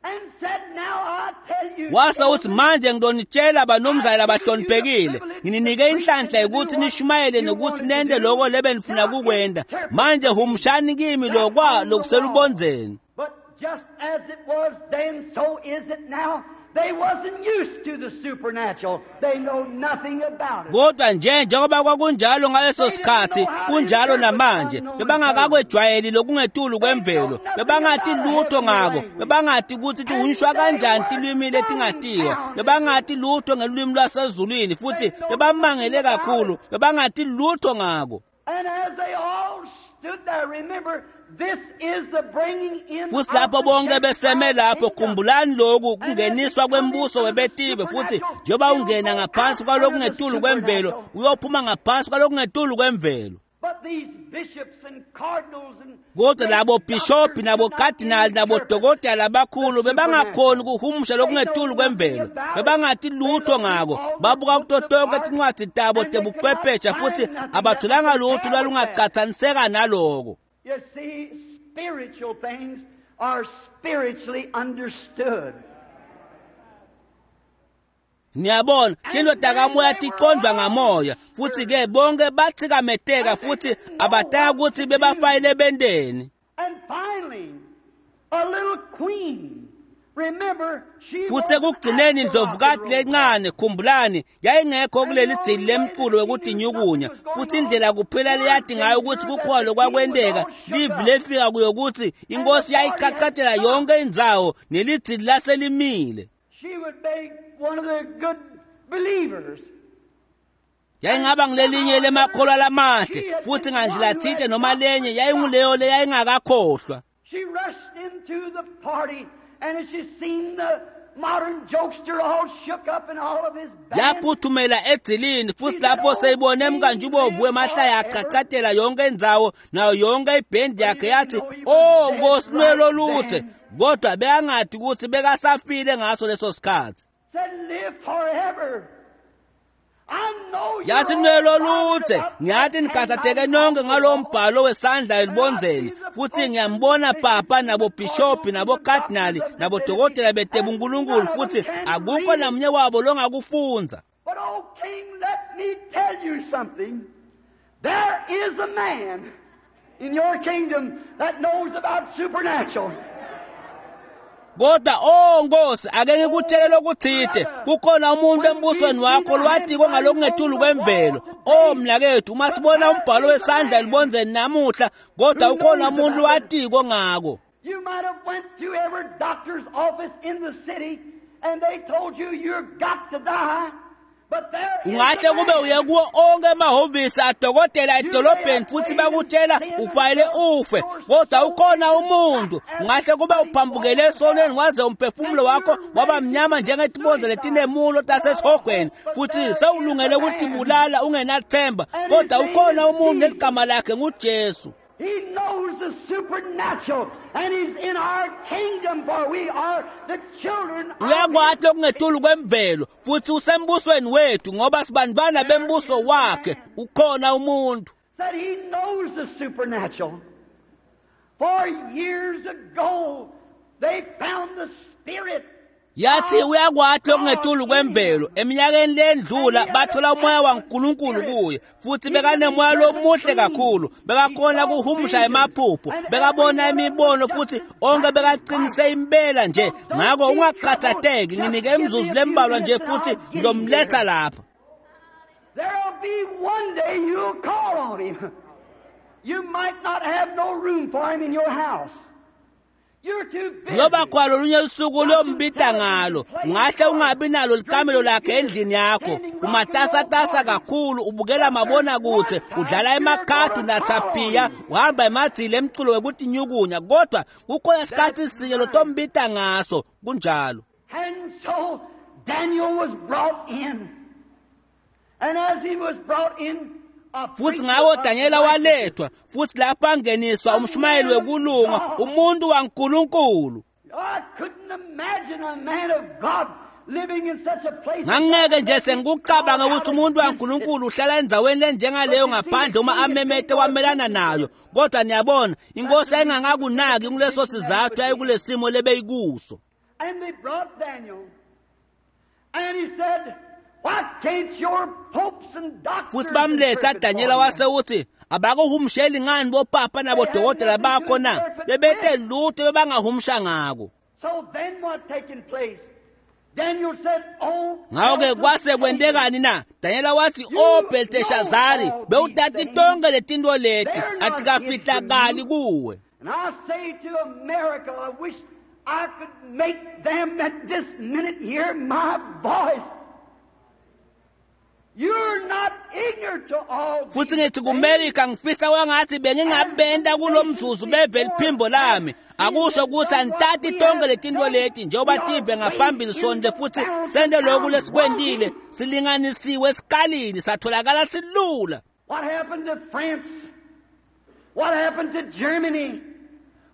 and said, Now I tell you, Wase uthi manje ngidonitshela banomzali abahloniphekile, ngininike inhlanhla ukuthi nishumayele nokuthi nente loko lebe nifuna kukwenda. Manje humshani kimi lokwa lokuselubondzeni. But just as it was then, so is it now. They wasn't used to the supernatural. They know nothing about it. Kodwa nje njengoba kwakunjalo ngaleso sikhathi kunjalo namanje bebangakakwejwayeli lokungetulu kwemvelo bebangati lutho ngako bebangati ukuthi tihunshwa kanjani tilwimi letingatiwa bebangati lutho ngelulwimi lwasezulwini futhi bebamangele kakhulu bebangati lutho ngako. And as they all stood there, remember, this is the bringing in futhi lapho bonke beseme lapho khumbulani lokhu kungeniswa kwembuso webetive futhi njengoba ungena ngaphansi kwalokungetulu kwemvelo uyophuma ngaphansi kwalokungetulu kwemvelo. But these bishops and cardinals and kodwa labo bishophi nabokadinali nabodokotela labakhulu bebangakhoni ukuhumusha lokungetulu kwemvelo bebangati lutho ngako babuka kuto tonke tincwadzi tabo tebuchwephesha futhi abatholanga lutho lwalungacathaniseka naloko. You see, spiritual things are spiritually understood. Niyabona tintfo takamoya tiqondwa ngamoya futhi-ke bonke batsikameteka futhi abataka kutsi bebafayile benteni. And finally, a little queen. Remember, she futhi ekugcineni indlovukati lencane khumbulani yayingekho kuleli dzili lemculo wekutinyukunya futhi indlela kuphela leyati ngayo ukuthi kukhona lokwakwenteka livi lefika kuyo kutsi inkosi yayichachatela yonke indzawo nelidzili laselimile. She would be one of the good believers. Yayingaba ngilelinye lemakholwa lamahle futhi ngandlela thite noma lenye yayinguleyo leyayingakakhohlwa. She rushed into the party, and as she seen the modern jokester all shook up and all of his band, Yaphuthumela edzilini futhi lapho seyibone emkantshubovu wemahlaya achachatela yonke indzawo nayo yonke ibhendi yakhe yathi oh nkosi nwelo luthe kodwa bekangadi ukuthi bekasafile ngaso leso sikhathi. said, "Live forever. I know you're Yathi nwelo all luthe about ngiyathi nikhathatheke nonke ngalowo mbhalo wesandla elibonzeni futhi ngiyambona papa nabobhishophi nabokadinali nabodokotela betebunkulunkulu futhi akukho namunye wabo longakufunza. But, oh, King, let me tell you something. There is a man in your kingdom that knows about supernatural. Kodwa oh Nkosi ake ngikutshele lokuthite kukhona umuntu embusweni wakho lwatiko ngalokungetulu kwemvelo. Oh mnakethu uma sibona umbhalo wesandla elibonzeni namuhla kodwa ukhona umuntu lwatiko ngako. You might have went to every doctor's office in the city and they told you you've got to die. But there is Ungahle a kube man. uye kuwo onke emahhovisi adokotela edolobheni futhi bakutshela ufayele ufe kodwa ukhona umuntu ungahle kube uphambukele esonweni waze umphefumulo wakho waba mnyama njengetibonzo letinemulo tasesihogweni futhi sewulungele ukutibulala ungenathemba kodwa ukhona umuntu neligama lakhe nguJesu. He knows the supernatural, and he's in our kingdom, for we are the children of Uyakwati lokungetulu kwemvelo futhi usembusweni wethu ngoba sibantwana bembuso wakhe ukhona umuntu. Said he knows the supernatural. For years ago, they found the Spirit. Yathi uyakwati lokungetulu kwemvelo eminyakeni lendlula bathola umoya waNkulunkulu kuye futhi bekanemoya lomuhle kakhulu bekakhona kuhumusha emaphupho bekabona imibono futhi onke bekacinise impela nje ngako ungakhathatheki nginike imizuzu lembalwa nje futhi ngizomletha lapha. There'll be one day you'll call on him. You might not have no room for him in your house. You're too busy. Ngoba kwalo lunye lusuku lombita ngalo ungahle ungabi nalo likamelo lakhe endlini yakho umatasatasa kakhulu ubukela mabonakude udlala emakhadi unathapiya uhamba emadzili emculo wekutinyukunya kodwa kukhona isikhathi sinye lotombita ngaso kunjalo. And so Daniel was brought in. And as he was brought in, a futhi preacher ngako of Daniela walethwa futhi lapho angeniswa umshumayeli wekulunga umuntu waNkulunkulu. I couldn't imagine a man of God living in such a place. Ngangeke nje sengikucabanga ukuthi umuntu waNkulunkulu uhlala endzaweni lenjengaleyo ngaphandle uma amemete wamelana nayo kodwa niyabona inkosi yayingangakunaki kuleso sizathu yayikulesimo lebeyikuso. And they brought Daniel. And he said, Why can't your popes and doctors Futhi bamletha interpret Daniela for you?" wase uthi Abakuhumsheli ngani bopapa nabodokotela bakho na? Bebete lutho bebangahumusha ngako. So then what taken place? Daniel said, "Oh, Ngakho-ke kwase kwentekani na? Danyela wathi, "O Belteshazari, bewutati tonke letintfo leti, atikafihlakali kuwe." And I say to America, I wish I could make them at this minute hear my voice. You're not ignorant to all Futhi these ngithi things. kuMerika ngifisa kwangathi bengingabenda kulo mzuzu beve liphimbo lami. Akusho ukuthi anitati tonke letintfo leti njengoba tive ngaphambili sonde futhi sente lokhu lesikwentile silinganisiwe esikalini satholakala silula. What happened to France? What happened to Germany?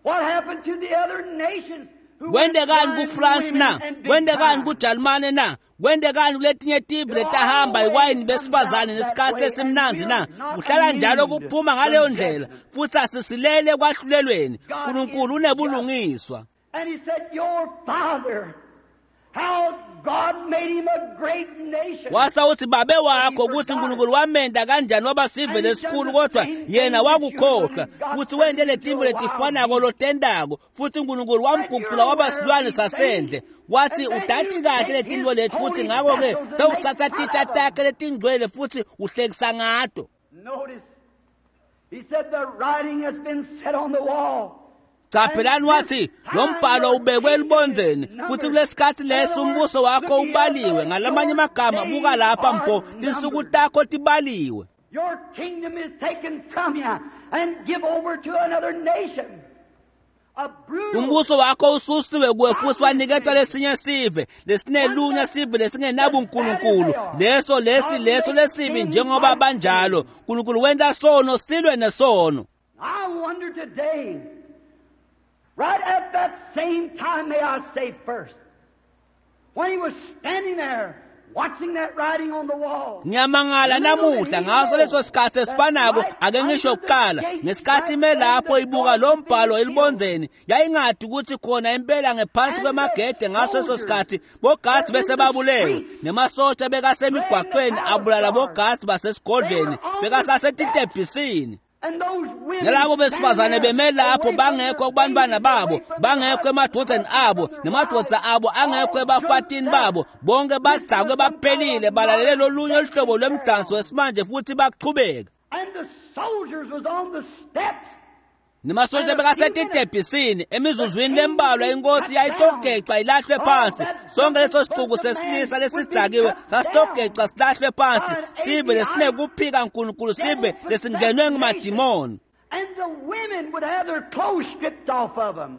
What happened to the other nations? who went Kwentekani blind kuFrance na? women and big Kwentekani time? kuJalimane na? Kwentekani kuletinye tive letahamba iwayini besifazane nesikhathi lesimnandzi na? Kuhlala njalo kuphuma ngaleyo ndlela futhi asisilele kwahlulelweni. uNkulunkulu unebulungiswa. And he said, Your father, how God made him a great nation. Wasa uthi babe wakho ukuthi uNkulunkulu wamenda kanjani waba sive lesikhulu kodwa yena wakukhohlwa futhi wente letimbo letifanako lotendako futhi uNkulunkulu wamguqula waba silwane sasendle. Wathi udati kahle letinto leti futhi ngakho-ke sewutsatsa titsha takhe letingcwele futhi uhlekisa ngato. Notice, he said, the writing has been set on the wall. Caphelani wathi lo mbhalo ubekwe elibondzeni futhi kulesikhathi leso umbuso wakho ubaliwe. Ngalamanye amagama buka lapha mfo, tinsuku takho tibaliwe. Your kingdom is taken from you and give over to another nation. A brutal Umbuso wakho ususiwe kuwe futhi waniketwa lesinye sive lesinelunya sive lesingenabunkulunkulu leso lesi leso lesibi njengoba banjalo. uNkulunkulu wenta sono silwe nesono. I wonder today, right at that same time, may I say first, when he was standing there watching that writing on the wall. Ngiyamangala namuhla ngaso leso sikhathi esifanako ake ngisho kuqala ngesikhathi ime lapho ibuka lo mbhalo elibondzeni yayingadi ukuthi khona impela ngephansi kwemagede ngaso leso sikhathi bogasi bese babulewe nemasotsha bekasemigwaqweni abulala bogasi basesigodlweni bekasasetitebhisini. And those women Nalabo besifazane standing there beme lapho away from bangekho their kubantwana babies, babo away from bangekho their emadodeni abo nemadoda abo angekho ebafatini babo bonke badzakwe baphelile balalele lolunye luhlobo lwemdanso wesimanje futhi baqhubeka. And the soldiers was on the steps. Nemasotsha bekasetitebhisini emizuzwini lembalwa inkosi yayitogeca ilahlwe phansi. Sonke leso sixuku sesilisa lesidzakiwe sasitogeca silahlwe phansi sive lesinekuphika uNkulunkulu sive lesingenwe ngumadimoni. And the women would have their clothes stripped off of them.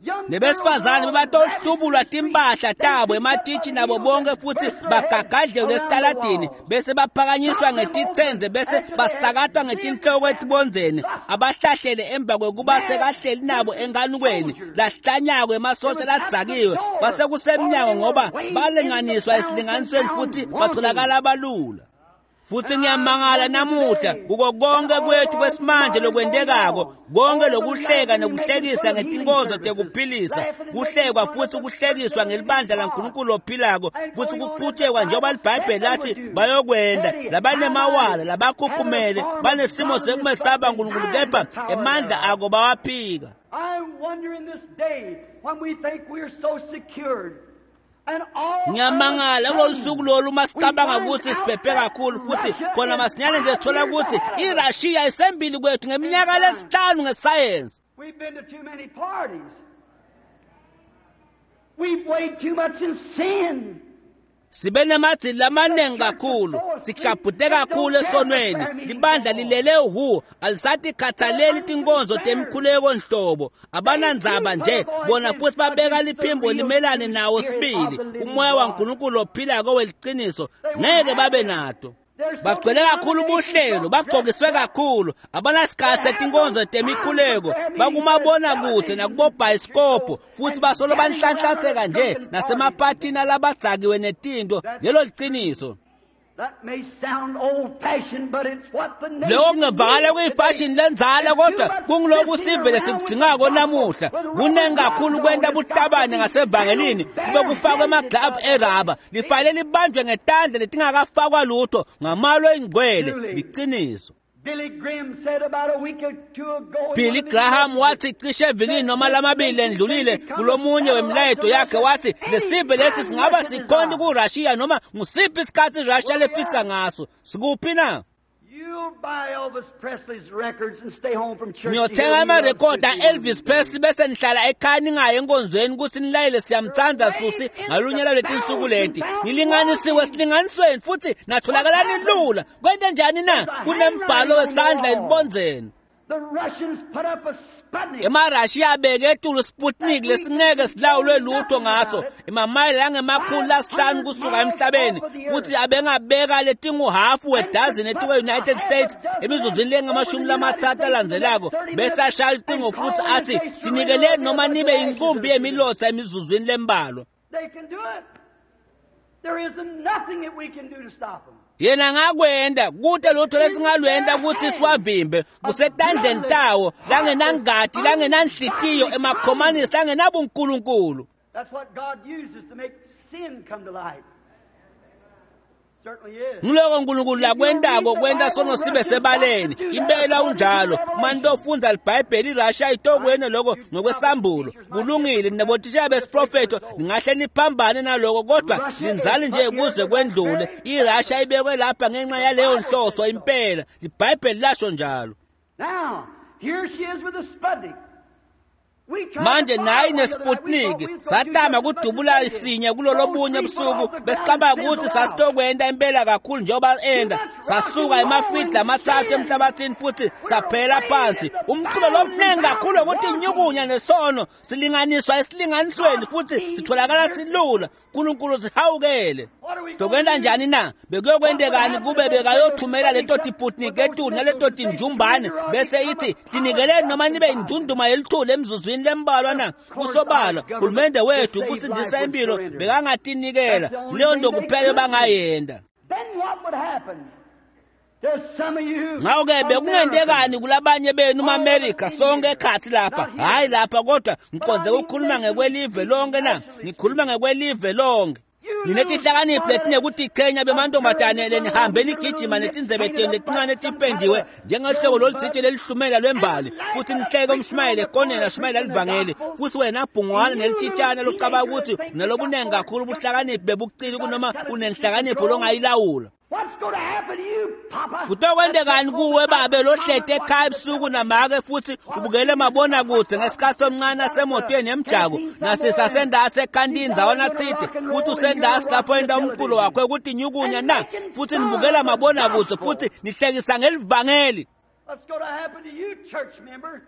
Young Nebesifazane girls bebatohlubulwa timpahla tabo ematshitshi nabo bonke futhi bagagadlelwe esitaladini bese baphakanyiswa ngetitsenze bese basakatwa ngetinhloko etibondzeni abahlahlele emva kwekuba sekahleli nabo enganukweni lahlanyako emasotsha ladzakiwe kwase kusemnyango ngoba balinganiswa esilinganisweni futhi batholakala balula. Futhi ngiyamangala namuhla kuko konke kwethu kwesimanje lokwentekako konke lokuhleka nekuhlekisa ngetinkonzo tekuphilisa kuhlekwa futhi kuhlekiswa ngelibandla laNkulunkulu ophilako futhi kuqhutshekwa njengoba liBhayibheli lathi bayokwenda labanemawala labakhukhumele banesimo sekumesaba uNkulunkulu kepha emandla ako bawaphika. I wonder in this day when we think we're so secured. And all Ngiyamangala kulolu suku lolu uma sicabanga ukuthi siphephe kakhulu futhi khona masinyane nje sithola ukuthi iRussia isembili kwethu ngeminyaka lesihlanu ngesayensi. We've been to too many parties. We've weighed too much in sin. Sibe nemadzili lamaningi kakhulu, siklabhute kakhulu esonweni. Libandla lilele hu, alisatikhathaleli tinkonzo temikhuleko nhlobo. Abanandzaba nje bona futhi babeka liphimbo limelane nawo sibili. Umoya waNkulunkulu ophilako weliciniso ngeke babe nato. Bagcwele kakhulu ubuhlelo, bagcokiswe kakhulu, abanasikhathi setinkonzo temikhuleko, bakumabonakude nakubobhayisikobho futhi basolo banhlanhlatheka nje nasemaphathini alabadzakiwe netinto. Lelo liciniso. That may sound old-fashioned, but it's what the nation Lokho kungevakala kuyifashini lenzala kodwa kunguloku sive lesikudzingako namuhla. Kuningi kakhulu kwenta butabane ngasevangelini kube kufakwe emaglavu eraba lifanele libanjwe ngetandla letingakafakwa lutho ngamalo engcwele. Liciniso. Billy Graham wathi cishe evikini noma lamabili endlulile kulomunye wemilayeto yakhe wathi lesive lesi singaba sikhonto kuRussia noma ngusiphi isikhathi iRussia lefisa ngaso. Sikuphi na? Niyothenga amarekhodi a-Elvis Presley bese nihlala ekhaya ningayi enkonzweni ukuthi nilayele siyamthanda Susi ngalunye lwaleti nsuku leti. Nilinganisiwe silinganisweni futhi natholakala nilula. Kwente njani na? Kunembhalo wesandla elibondzeni. EmaRussia abeke etulu Sputnik lesingeke silawulwe lutho ngaso emamayela angemakhulu lasihlanu kusuka emhlabeni futhi abengabeka letinguhafu wedazini etikwe-United States emizuzwini lengamashumi lamatsatfu alandzelako bese ashaya lucingo futhi athi tinikeleni noma nibe inkumbi yemilotsa emizuzwini lembalwa. Yena ngakwenda kute lutho lesingalwenda ukuthi siwavimbe kusetandleni tawo langenangati langenanhlitiyo emakhomanisi langenabunkulunkulu. Ngiloko uNkulunkulu lakwentako kwenta sono sibe sebaleni. Impela unjalo. Manje ofundza iBhayibheli iRussia itokwena lokho ngokwesambulo. Kulungile nabothisha besiprofeto ningahle niphambane naloko kodwa linzali nje kuze kwendlule. iRussia ibekwe lapha ngenxa yaleyo nhloso impela. iBhayibheli lasho njalo. Now, here she is with the Sputnik. Manje nayi neSputnik satama kudubula isinye kulolobunye busuku besicabanga ukuthi sasitokwenta impela kakhulu njengoba enda sasuka emafidi lamathathu emhlabathini futhi saphela phansi. Umculo lomningi kakhulu ukuthi inyukunya nesono silinganiswa esilinganisweni futhi sitholakala silula. uNkulunkulu sihawukele. Sitokwenta njani na? Bekuyokwendekani kube bekayothumela leto tiputnik etulu naleto tinjumbane bese ithi tinikeleni noma nibe indunduma yelithuli emzuzwini lembalwa na? Kusobala hulumende wethu kusindisa impilo bekangatinikela leyo nto kuphela bangayenda. Ngakho-ke bekungentekani kulabanye benu maAmerica sonke ekhathi lapha, hhayi lapha kodwa ngiqonde ukukhuluma ngekwelive lonke na? Ngikhuluma ngekwelive lonke. Ninetihlakaniphi letinekutichenya bemantombazane lenihambe nigijima netindzebe tenu letincane letipendiwe njengehlobo lolutsite lelihlumela lwembali futhi nihleke umshumayeli ekoneni ashumayela livangeli futhi wena bhungwana nelitshitshana locabanga ukuthi unalobunengi kakhulu ubuhlakaniphi bebucili kunoma unenhlakanipho longayilawula. Kutokwendekani kuwe babe lohlete ekhaya ebusuku namake futhi ubukele mabonakude ngesikhathi omncane asemotweni emjako nasisasendasi ekhantini ndzawana tsite futhi usendasi lapho enta umculo wakho ukuthi nyukunya na futhi nibukela mabonakude futhi nihlekisa ngelivangeli. What's going to happen to you, church member?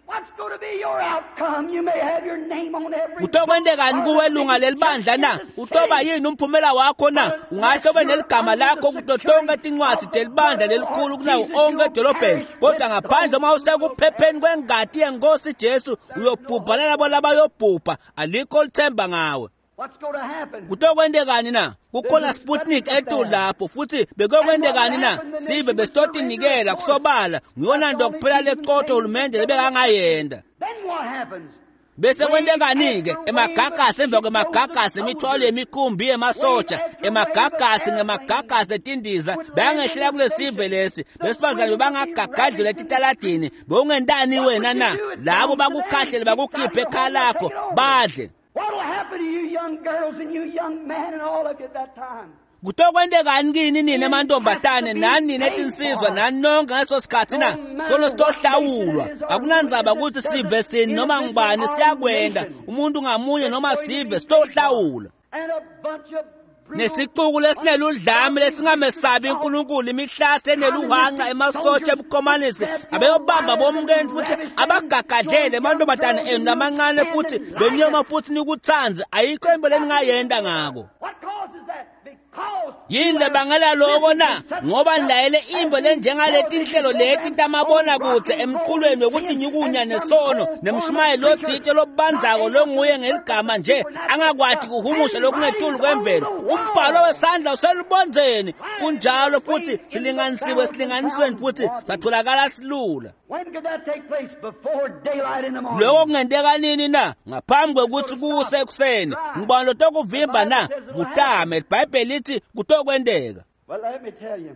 What's going to be your outcome? You may have your name on every Kutokwendekani kuwe lunga lelibandla na? Utoba yini umphumela wakho na? Ungahle ube neligama lakho kuto tonke tincwadzi telibandla lelikhulu kunawo onke edolobheni kodwa ngaphandle uma usekuphepheni kwengati yenkosi Jesu uyobhubha nalabo labayobhubha alikho lithemba ngawe. What's going to happen? Kutokwendekani na? Kukhona Sputnik etulu lapho futhi bekuyokwendekani na? Sive besitotinikela kusobala ngiyona nto kuphela leqotho hulumende lebekangayenda. Then what happens? Bese kwentekani-ke emagagasi emva kwemagagasi imithwalo yemikhumbi yemasotsha emagagasi ngemagagasi etindiza bangehlela kulesive lesi besifazane bebangagagadlelwa etitaladini bewungentani wena na? Labo bakukhahlele bakukhiphe ekhaya lakho badle. What'll happen to you young girls and you young men and all of you at that time? Kutokwendekani kini nina emantombazane nani nina etinsizwa nani nonke ngaleso sikhathi na? Sono sitohlawulwa. Akunandzaba ukuthi sive sini noma ngubani siyakwenda umuntu ngamunye noma sive sitohlawula. And a bunch of brutal Nesicuku lesineludlame lesingamesabi uNkulunkulu imihlase eneluhanqa emasotsha ebukhomanisi abeyobamba bomkeni futhi abagagadlele emantombazane enu lamancane futhi benyoma futhi nikuthandze ayikho into leningayenda ngako. What causes that? Because Yini lebangela loko na? Ngoba nilayele imvo lenjengaleti nhlelo leti tamabonakude emqulweni wekuthi nyukunya nesono nemshumayeli lotsite lobandzako longuye ngeligama nje angakwati kuhumusha lokungetulu kwemvelo. Umbhalo wesandla uselubondzeni kunjalo futhi silinganisiwe esilinganisweni futhi satholakala silula. When could that take place? Before daylight in the morning. Lokho kungenteka nini na? Ngaphambi kwekuthi kuse ekuseni. Ngibona lotokuvimba na? Kutame iBhayibheli lithi kutokwenteka. Well, let me tell you.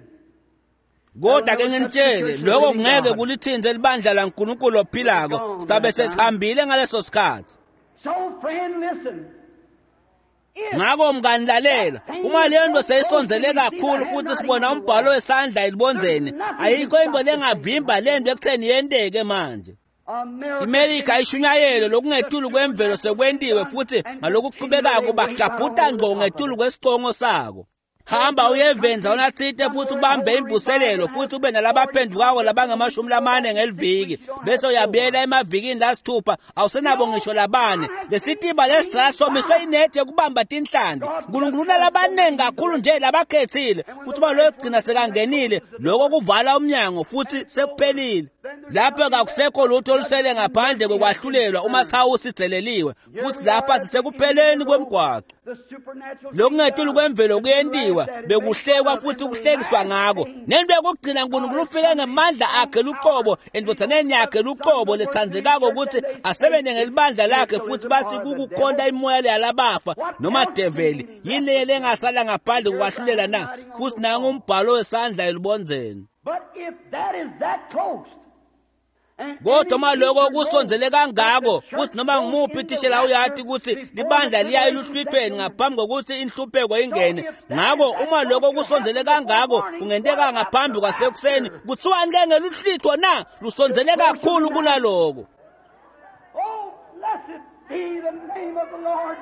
Kodwa ke nginitshele lokho kungeke kulithinze libandla laNkulunkulu ophilako, sizabe sesihambile ngaleso sikhathi. So friend, listen. Ngakho mngani lalela, uma leyo nto seyisondzele kakhulu futhi sibona umbhalo wesandla elibondzeni, ayikho into lengavimba le nto ekutheni yenteke manje. IMelika ishunyayelo lokungetulu kwemvelo sekwentiwe futhi ngalokuchubekako baklabhuta ngqo ngetulu kwesicongo sako. Hamba uyevenza unathite futhi ubambe imvuselelo futhi ube nalabaphendukako labangamashumi lamane ngeliviki, bese uyabuyela emavikini lasithupha awusenabo ngisho labane. Lesitiba lesidala somiswe inethi yokubamba tinhlanti. Nkulunkulu unalabaningi kakhulu nje labakhethile, futhi uma loyo kugcina sekangenile lokho kuvala umnyango futhi sekuphelile. Lapho kakusekho lutho olusele ngaphandle kokwahlulelwa uma sihawu sidzeleliwe, futhi lapha sisekupheleni kwemgwaqo. Lokungetulu kwemvelo kuyentiwa, bekuhlekwa futhi kuhlekiswa ngako. Nento yokugcina uNkulunkulu ufike ngemandla akhe luqobo endvodzaneni yakhe luqobo letsandzekako ukuthi asebenze ngelibandla lakhe, futhi bathi kukukhonta imoya yalabafa noma develi. Yini le lengasala ngaphandle kokwahlulela na? Futhi nangu umbhalo wesandla elubondzeni. But if that is that close, Kodwa uma lokho kusondzele kangako, futhi noma ngumuphi thishela uyati ukuthi libandla liya eluhlwithweni ngaphambi kokuthi inhlupheko ingene. Ngakho uma lokho kusondzele kangako kungenteka ngaphambi kwasekuseni, kuthiwani ke ngeluhlwitho na? Lusondzele kakhulu kunaloko. Oh, blessed be the name of the Lord.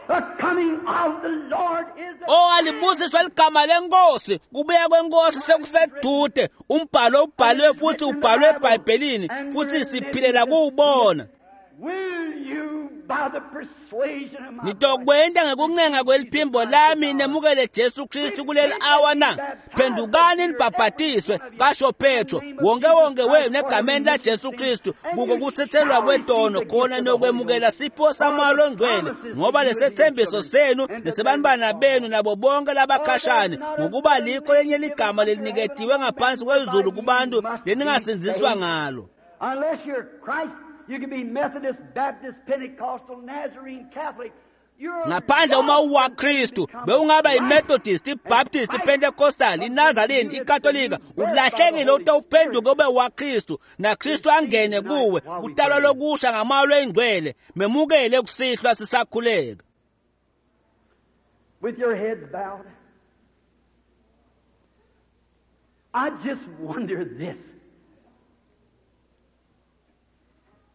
The coming of the Lord is at Oh, alibusiswe ligama lenkosi, kubuya kwenkosi sekusedude. Umbhalo ubhaliwe futhi ubhalwe eBhayibhelini, futhi siphilela kuwubona. Will you, by the persuasion of my voice, Nitokwenta ngekuncenga kweliphimbo lami nemukele Jesu Kristu kuleli awa na? Phendukani nibhabhatiswe, kasho Petro, wonke wonke wenu egameni la Jesu Kristu, kuko kuthethelwa kwetono khona nokwemukela sipho saMoya loNgcwele, ngoba lesethembiso senu nesebantwana benu nabo bonke labakhashane, ngokuba likho lenye ligama leliniketiwe ngaphansi kwezulu kubantu leningasindziswa ngalo. Unless you're Christ, you can be Methodist, Baptist, Pentecostal, Nazarene, Catholic. You're Ngaphandle uma uwaKristu, bewungaba iMethodist, iBaptist, iPentecostal, iNazarene, iKatolika, ulahlekile ute uphenduke ube waKristu, naKristu angene kuwe, utalwa lokusha ngamoya loyingcwele. Memukele kusihlwa sisakhuleka. With your heads bowed. I just wonder this.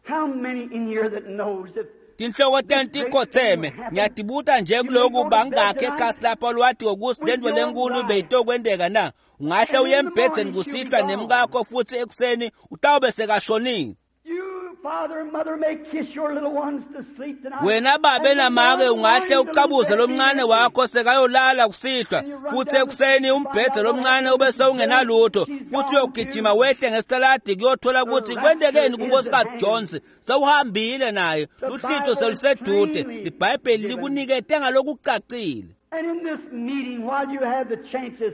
How many in here that knows if Tinhloko tenu tikhotseme, ngiyatibuta nje kuloku bangakhe ekhasi lapha lwati ngokuthi lento lenkulu beyitokwenteka na? Ungahle uye embhedzeni kusihlwa nemkakho futhi ekuseni utawube sekashonile. you, father and mother, may kiss your little ones to sleep tonight? Wena babe namake ungahle ucabuze lomncane wakho sekayolala kusihlwa, futhi ekuseni umbhedze lomncane ube sewungenalutho, futhi uyogijima wehle ngesitaladi kuyothola ukuthi kwentekeni kuNkosikazi Jones, sewuhambile naye, luhlito selusedude. IBhayibheli likunikete ngalokucacile. And in this meeting, while you have the chances,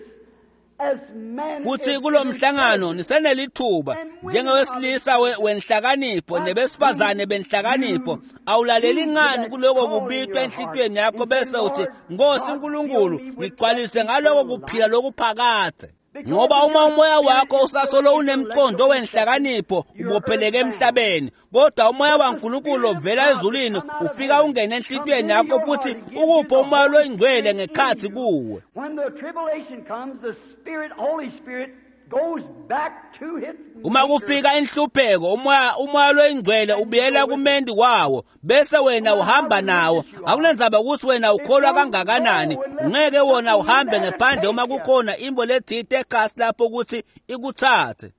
as men Futhi kulo mhlangano nisenelithuba njengowesilisa we- wenhlakanipho nebesifazane benhlakanipho, awulaleli ngani kuloko kubitwa enhlitiyweni yakho bese uthi, Nkosi uNkulunkulu, ngigcwalise ngaloko kuphila lokuphakadze. Ngoba uma umoya wakho usasolo unemqondo wenhlakanipho, ubopheleke emhlabeni, kodwa umoya waNkulunkulu ovela ezulwini ufika ungene enhlitiyweni yakho futhi ukuphe umoya loyingcwele ngekhathi kuwe. When the tribulation comes, the Spirit, Holy Spirit, goes back to its Uma kufika inhlupheko, umoya umoya loyingcwele ubuyela kumendi kwawo, bese wena uhamba nawo. Akunendzaba ukuthi wena ukholwa kangakanani, ungeke wona uhambe ngephandle uma kukhona imbo lethite ekhasi lapho ukuthi ikuthathe.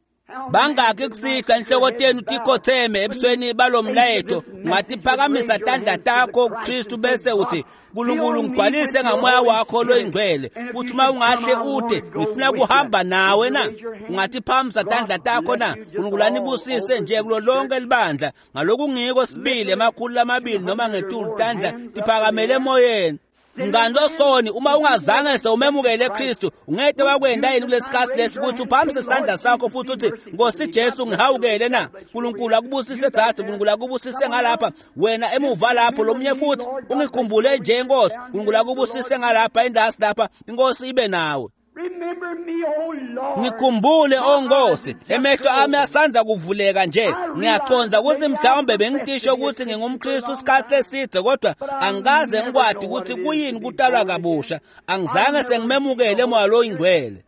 Bangaki kusihlwa inhloko tenu tikhotheme ebusweni balomlayeto, ungatiphakamisa tandla takho kuKristu bese uthi, Nkulunkulu ngigcwalise ngamoya wakho loyingcwele, futhi uma ungahle ude ngifuna kuhamba nawe na? Ungatiphakamisa tandla takho na? Nkulunkulu anibusise nje kulo lonke libandla ngalokungiko sibili emakhulu lamabili noma ngetulu tandla tiphakamele emoyeni. Mngani losoni, uma ungazange sewumemukele Kristu, ungeke wakwenda yini kulesikhathi lesi ukuthi uphakamise isandla sakho futhi uthi, Nkosi Jesu ngihawukele na? Nkulunkulu akubusise thathi, Nkulunkulu akubusise ngalapha, wena emuva lapho lomunye futhi ungikhumbule nje Nkosi. Nkulunkulu akubusise ngalapha endasi lapha, inkosi ibe nawe. Remember me, O Lord. Ngikhumbule o Nkosi, emehlo ami asanza kuvuleka nje. Ngiyaqonda ukuthi mhlawumbe bengitisho ukuthi ngingumKristu isikhathi eside, kodwa angikaze ngikwadi ukuthi kuyini kutalwa kabusha. Angizange sengimemukele moya loyingcwele.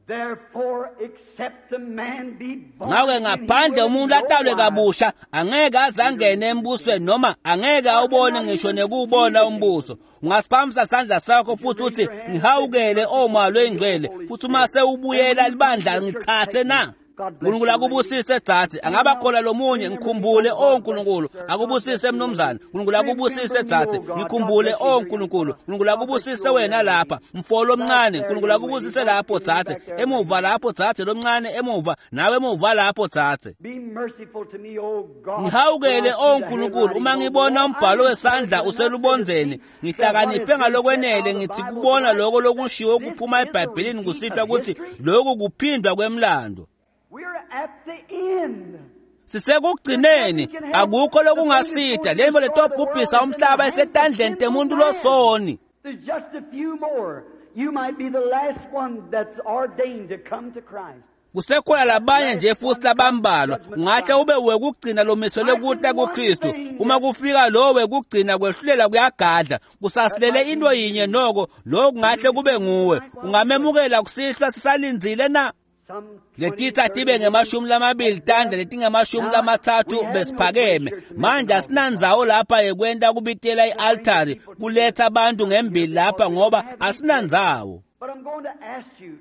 Therefore, except a man be born Ngakho again, he ngaphandle will umuntu no atalwe wise. kabusha angeke aze angene embusweni noma angeke awubone ngisho nekuwubona umbuso. Ungasiphakamisa isandla sakho futhi uthi ngihawukele omoya loyingcwele, futhi uma sewubuyela libandla ngithathe na? Nkulunkulu akubusise dzadze, angaba khona lomunye ngikhumbule o Nkulunkulu, akubusise mnumzane. Nkulunkulu akubusise dzadze, ngikhumbule o Nkulunkulu. Nkulunkulu akubusise wena lapha, mfo lomncane. Nkulunkulu akubusise lapho dzadze, emuva lapho dzadze lomncane, emuva nawe emuva lapho dzadze. Be merciful to me, O God. Ngihawukele o Nkulunkulu uma ngibona umbhalo wesandla uselubondzeni, ngihlakaniphe ngalokwenele ngithi kubona lokho lokushiwo kuphuma eBhayibhelini kusihlwa ukuthi lokhu kuphindwa kwemlando. We're at the end. Sisekugcineni, akukho lokungasida lembo letobhubhisa umhlaba esetandleni temuntu losoni. There's just a few more. You might be the last one that's ordained to come to Christ. Kusekhona labanye nje futhi labambalwa, ungahle ube wekugcina lomiselwe kuta kuKristu. Uma kufika lo wekugcina kwehlulela kuyagadla, kusasilele into yinye noko, lo kungahle kube nguwe. Ungamemukela kusihlwa sisalindzile na? Some Letitsa tibe ngemashumi lamabili tandla letingemashumi lamatsatfu besiphakeme. Manje asinandzawo lapha yekwenta kubitela i-altari kuletha abantu ngembili lapha ngoba asinandzawo. But I'm going to ask you,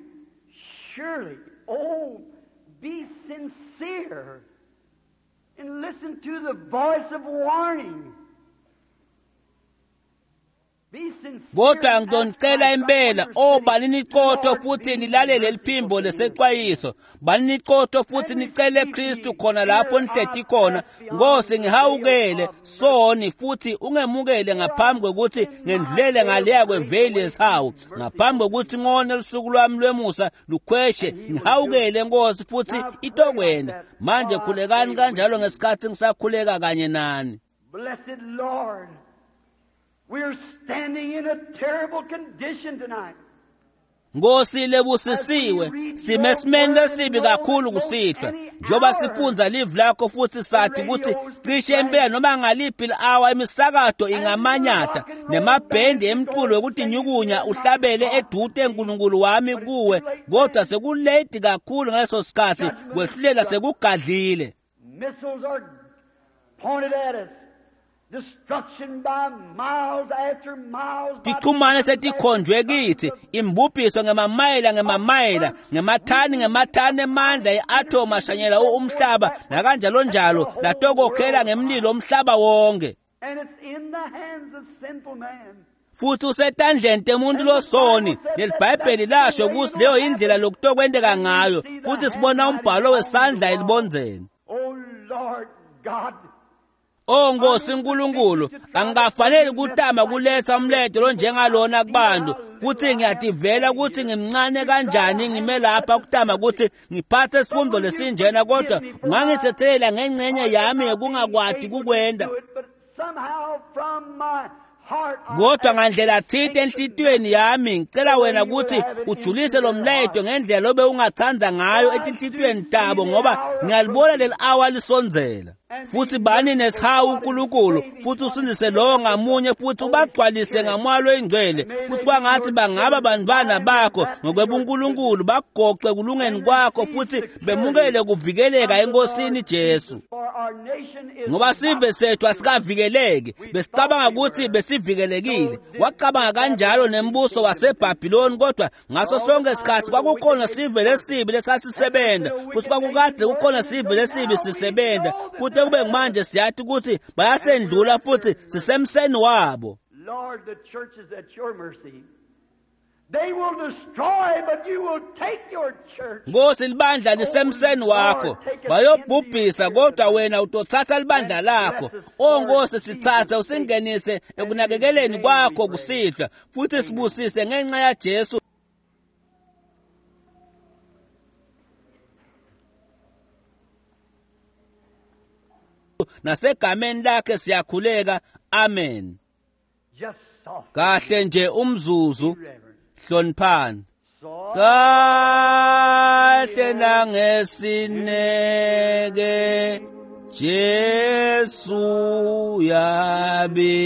surely, oh, be sincere and listen to the voice of warning. Be sincere. Kodwa and ask ngizonicela Christ impela, to o balini iqotho Lord, futhi be nilalele merciful liphimbo to me. lesexwayiso. Balini iqotho futhi nicele Kristu khona lapho nihleti khona. Nkosi ngihawukele soni futhi ungemukele ngaphambi kwekuthi ngendlulele ngaleya kweveli yesihawu. Ngaphambi kwekuthi ngone lusuku lwami lwemusa lukhweshe, ngihawukele Nkosi futhi itokwenda. Manje khulekani kanjalo ngesikhathi ngisakhuleka kanye nani. Blessed Lord, we're standing in a terrible condition tonight. Nkosi lebusisiwe, sime esimeni lesibi kakhulu kusihlwa njengoba sifundza livi lakho futhi sathi ukuthi cishe impela noma ngaliphi li-awa imisakato ingamanyatha nemabhendi emculo wekutinyukunya uhlabele edute Nkulunkulu wami kuwe, kodwa sekulate kakhulu ngaleso sikhathi, kwehlulela sekugadlile. Missiles are pointed at us. Destruction by miles after miles. by Tichumane setikhonjwe kithi, imbubhiso ngemamayela ngemamayela, ngemathani ngemathani emandla e-atom ashanyela umhlaba nakanjalo njalo, latokokhela ngemlilo umhlaba wonke. And it's in the hands of sinful man. Futhi usetandleni temuntu losoni. LeliBhayibheli lasho ukuthi leyo indlela lokutokwenteka ngayo, futhi sibona umbhalo wesandla elibondzeni. Oh Lord God, O Nkosi Nkulunkulu, angikafaneli kutama kuletha umleto lonjengalona kubantu, futhi ngiyativela ukuthi ngimncane kanjani ngime lapha kutama ukuthi ngiphathe isifundo lesinjena, kodwa ungangithethelela ngengcenye yami yokungakwati kukwenda. do it, but somehow from my heart I Kodwa ngandlela thite enhlitiyweni yami ngicela wena ukuthi ujulise lo mlayeto ngendlela lobe ungathanda ngayo etinhlitiyweni tabo, ngoba ngiyalibona leli awa lisondzela. Futhi bani nesihawu uNkulunkulu, futhi usindise lowo ngamunye, futhi ubagcwalise ngamoya loyingcwele, futhi kwangathi bangaba bantwana bakho ngokwebunkulunkulu, bagoqe kulungeni kwakho futhi bemukele kuvikeleka eNkosini Jesu. For our nation is Ngoba sive sethu asikavikeleki, besicabanga ukuthi besivikelekile. Wacabanga kanjalo nembuso waseBhabhiloni, kodwa ngaso sonke isikhathi kwakukhona sive lesibi lesasisebenza, futhi kwakukade kukhona sive lesibi sisebenza. Kute kube manje siyathi ukuthi bayasendlula futhi sisemseni wabo. Lord, the church is at your mercy. They will destroy, but you will take your church. Nkosi libandla lisemseni wakho, bayobhubhisa kodwa wena utothatha libandla lakho. O Nkosi sithathe usingenise ekunakekeleni kwakho kusihlwa, futhi sibusise ngenxa yaJesu. Nasegameni lakhe siyakhuleka, amen. Just soft. Kahle nje umzuzu, Reverend. hloniphani. Kahle nangesineke Jesu yabita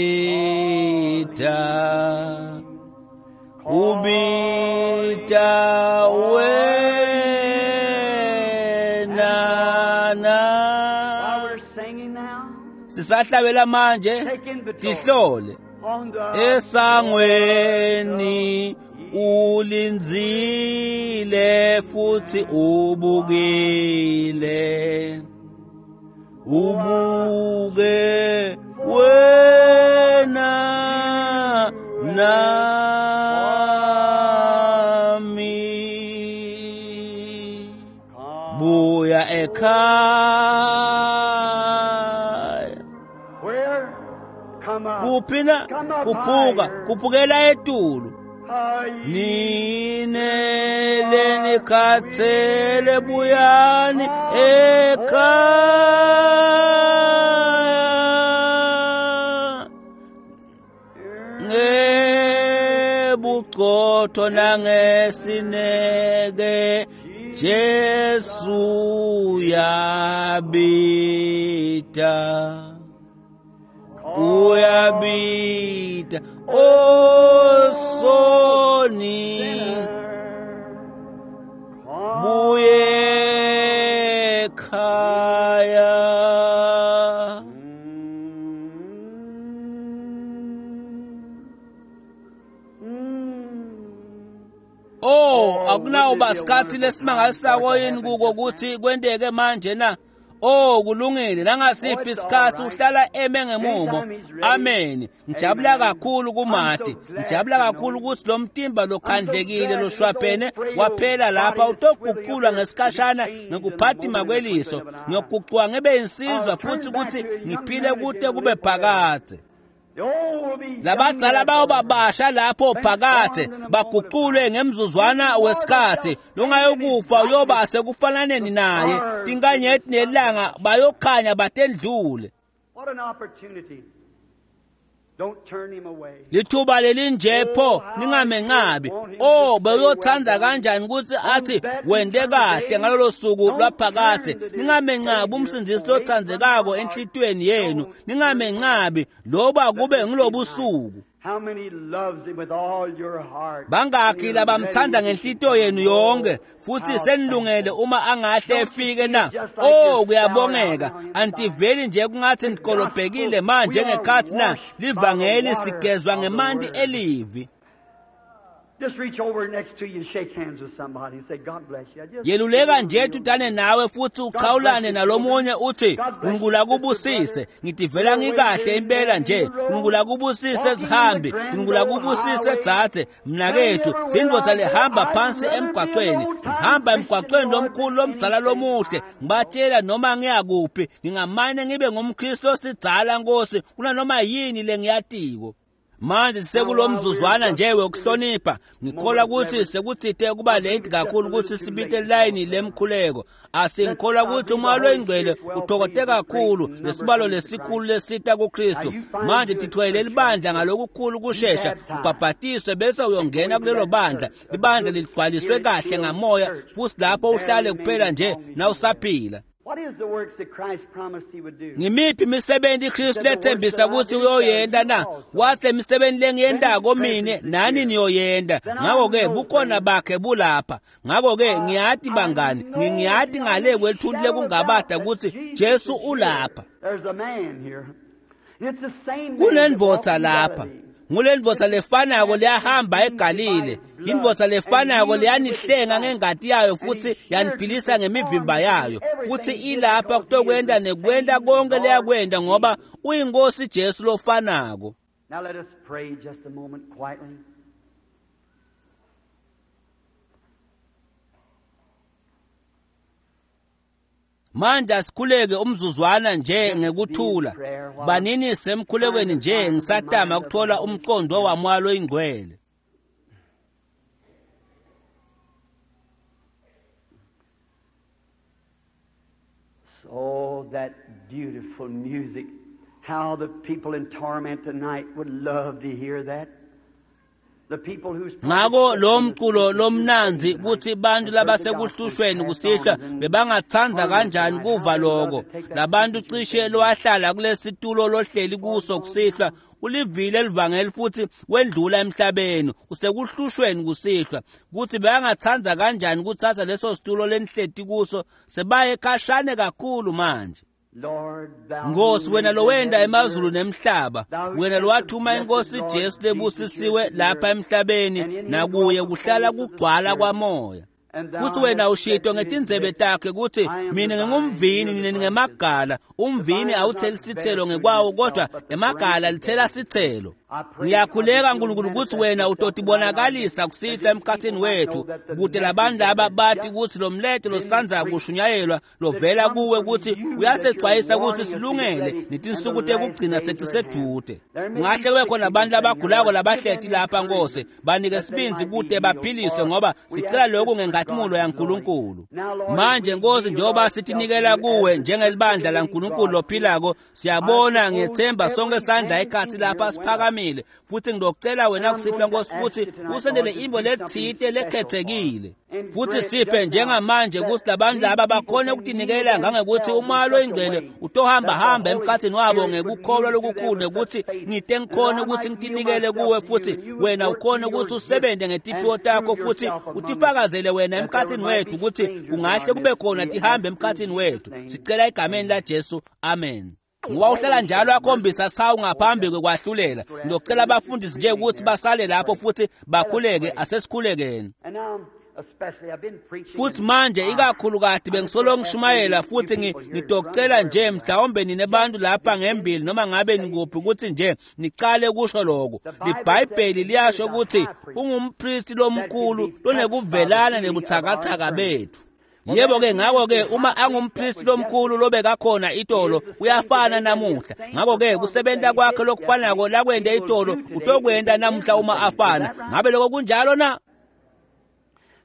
ubita wena na While we're singing now, sisahlabela manje take inventory tihlole on the esangweni ulindzile futhi ubukile ubuke wena nami buya ekhaya Where? Come up. kuphi na Come up kuphuka higher. kuphukela etulu Higher. nine lenikhathele buyani ekhaya ngebuqotho nangesineke Jesu yabita uyabita osoni buye khaya Oh akunawuba sikhathi lesimangalisako yini kuko ukuthi kwenteke manje na Oh kulungile nangasiphi isikhathi uhlala eme ngemumo amen ngijabula kakhulu kumati ngijabula kakhulu ukuthi lo mtimba lokhandlekile loshwaphene waphela lapha utoguqulwa ngesikhashana ngekuphatima kweliso ngiyoguquka ngibe insizwa futhi ukuthi ngiphile kude kube phakadze The old will be labadzala bawo babasha lapho phakathe baguqulwe ngemzuzwana wesikhathi longayokufa uyoba sekufananeni naye tinkanyeti nelanga bayokhanya batendlule What an opportunity. Don't turn him away. lithuba lelinje pho ningamencabi oh beyothanda kanjani ukuthi athi wente kahle ngalolo suku lwaphakathe ningamencabi umsindisi lothandzekako enhlitiyweni yenu ningamencabi loba kube ngilobusuku How many loves him with all your heart? bangakhi labamthanda ngenhlitiyo yenu yonke futhi senilungele uma angahle efike na oh kuyabongeka antiveli nje kungathi nikolobhekile manje ngekhathi na livangeli sigezwa ngemanti elivi Just reach over next to you and shake hands with somebody and say, God bless you. I just yeluleka nje tudane nawe futhi uqhawulane nalomunye uthi uNkulunkulu akubusise ngitivela ngikahle impela nje uNkulunkulu akubusise sihambi uNkulunkulu akubusise dzadze mnakethu sindvodza lehamba phansi emgwaqweni ngihamba emgwaqweni lomkhulu lomdzala lomuhle ngibatshela noma ngiyakuphi ngingamane ngibe ngumKristu osidzala Nkosi kunanoma yini lengiyatiko manje sekulomzuzwana nje wokuhlonipha ngikholwa ukuthi sekuthite kuba late kakhulu ukuthi sibite line lemkhuleko asingikholwa ukuthi umoya loyingcwele uthokote kakhulu lesibalo lesikhulu lesita kuKristu manje tithwele libandla ngalokukhulu kushesha ubhabhatiswe bese uyongena kulelo bandla ibandla ligcwaliswe kahle ngamoya futhi lapho uhlale kuphela nje nawusaphila What is the works that Christ promised he would do? ngimiphi imisebenzi iKristu lethembisa ukuthi uyoyenta na wathi imisebenzi lengiyentako mine nani niyoyenta ngakho-ke bukhona bakhe bulapha ngakho-ke ngiyati bangani ngingiyati ngale kwelithunti lekungabada ukuthi Jesu ulapha There's a man here. It's the same man that walked kunendvodza in lapha Galilee. ngulendvodza lefanako leyahamba eGalile indvodza lefanako leyanihlenga ngengati yayo futhi yaniphilisa ngemivimba yayo futhi ilapha kutokwenta nekwenta konke leyakwenta ngoba uyinkosi Jesu lofanako Now let us pray just a moment quietly. manje asikhuleke umzuzwana nje ngekuthula banini semkhulekweni nje ngisatama ukuthola umqondo wamoya loyingcwele Oh, that beautiful music. How the people in torment tonight would love to hear that. Ngako lo mculo lomnandzi kutsi bantfu labasekuhlushweni kusihlwa bebangatsandza kanjani kuva loko. Labantu cishe lowahlala kulesitulo lohleli kuso kusihlwa ulivile livangeli futhi wendlula emhlabeni usekuhlushweni kusihlwa kutsi bebangatsandza kanjani kutsatsa leso situlo lenihleti kuso sebaye khashane kakhulu manje. Nkosi wena lowenda emazulu nemhlaba, wena lowathuma inkosi Jesu lebusisiwe lapha emhlabeni nakuye kuhlala kugcwala kwamoya. Futhi wena ushito ngetindzebe takhe kutsi mina ngingumvini nina ningemagala. Umvini awutheli sithelo ngekwawo kodwa emagala lithela sithelo. Ngiyakhuleka Nkulunkulu kutsi wena utotibonakalisa kusihlwa emkhatsini wethu kute labantu laba bati kutsi lo mleto losandza kushunyayelwa lovela kuwe kutsi uyasecwayisa kutsi silungele netinsuku tekugcina setisedvute. Kungahle kube khona abantu labagulako labahleti lapha Nkosi, banike sibindzi kute baphiliswe ngoba sicela lokhu ngenkatimula yaNkulunkulu. Manje Nkosi njengoba sitinikela kuwe njengelibandla laNkulunkulu lophilako, siyabona ngiyethemba sonke sandla ekhatsi lapha siphakamile futhi ngidocela wena kusihlwa Nkosi ukuthi usendele imbo lethite lekhethekile futhi siphe njengamanje kutsi labantu laba bakhone ukutinikela ngangekuthi umoya loyingcwele utohamba hamba emkhatsini wabo ngekukholwa lokukhulu nekuthi ngite ngikhone ukuthi ngitinikele kuwe futhi wena ukhone ukuthi usebente ngetiphiwo takho futhi utifakazele wena emkhatsini wethu ukuthi kungahle kube khona tihambe emkhatsini wethu. Sicela egameni la Jesu, amen. Ngoba uhlala njalo akhombisa sawu ngaphambi kwekwahlulela. Ngizocela abafundisi nje ukuthi basale lapho futhi bakhuleke, asesikhulekeni. Futhi manje ikakhulukati bengisolo ngishumayela futhi ngitocela nje mhlawumbe nine bantu lapha ngembili noma ngabe nikuphi ukuthi nje nicale kusho lokho. LiBhayibheli liyasho ukuthi ungumpristi lomkhulu lonekuvelana nebuthakathaka bethu. Yebo ke ngako ke uma angumpristi lomkhulu lobekakhona itolo uyafana namuhla. Ngako ke kusebenta kwakhe lokufanako lakwente itolo utokwenta namuhla uma afana. Ngabe lokho kunjalo na?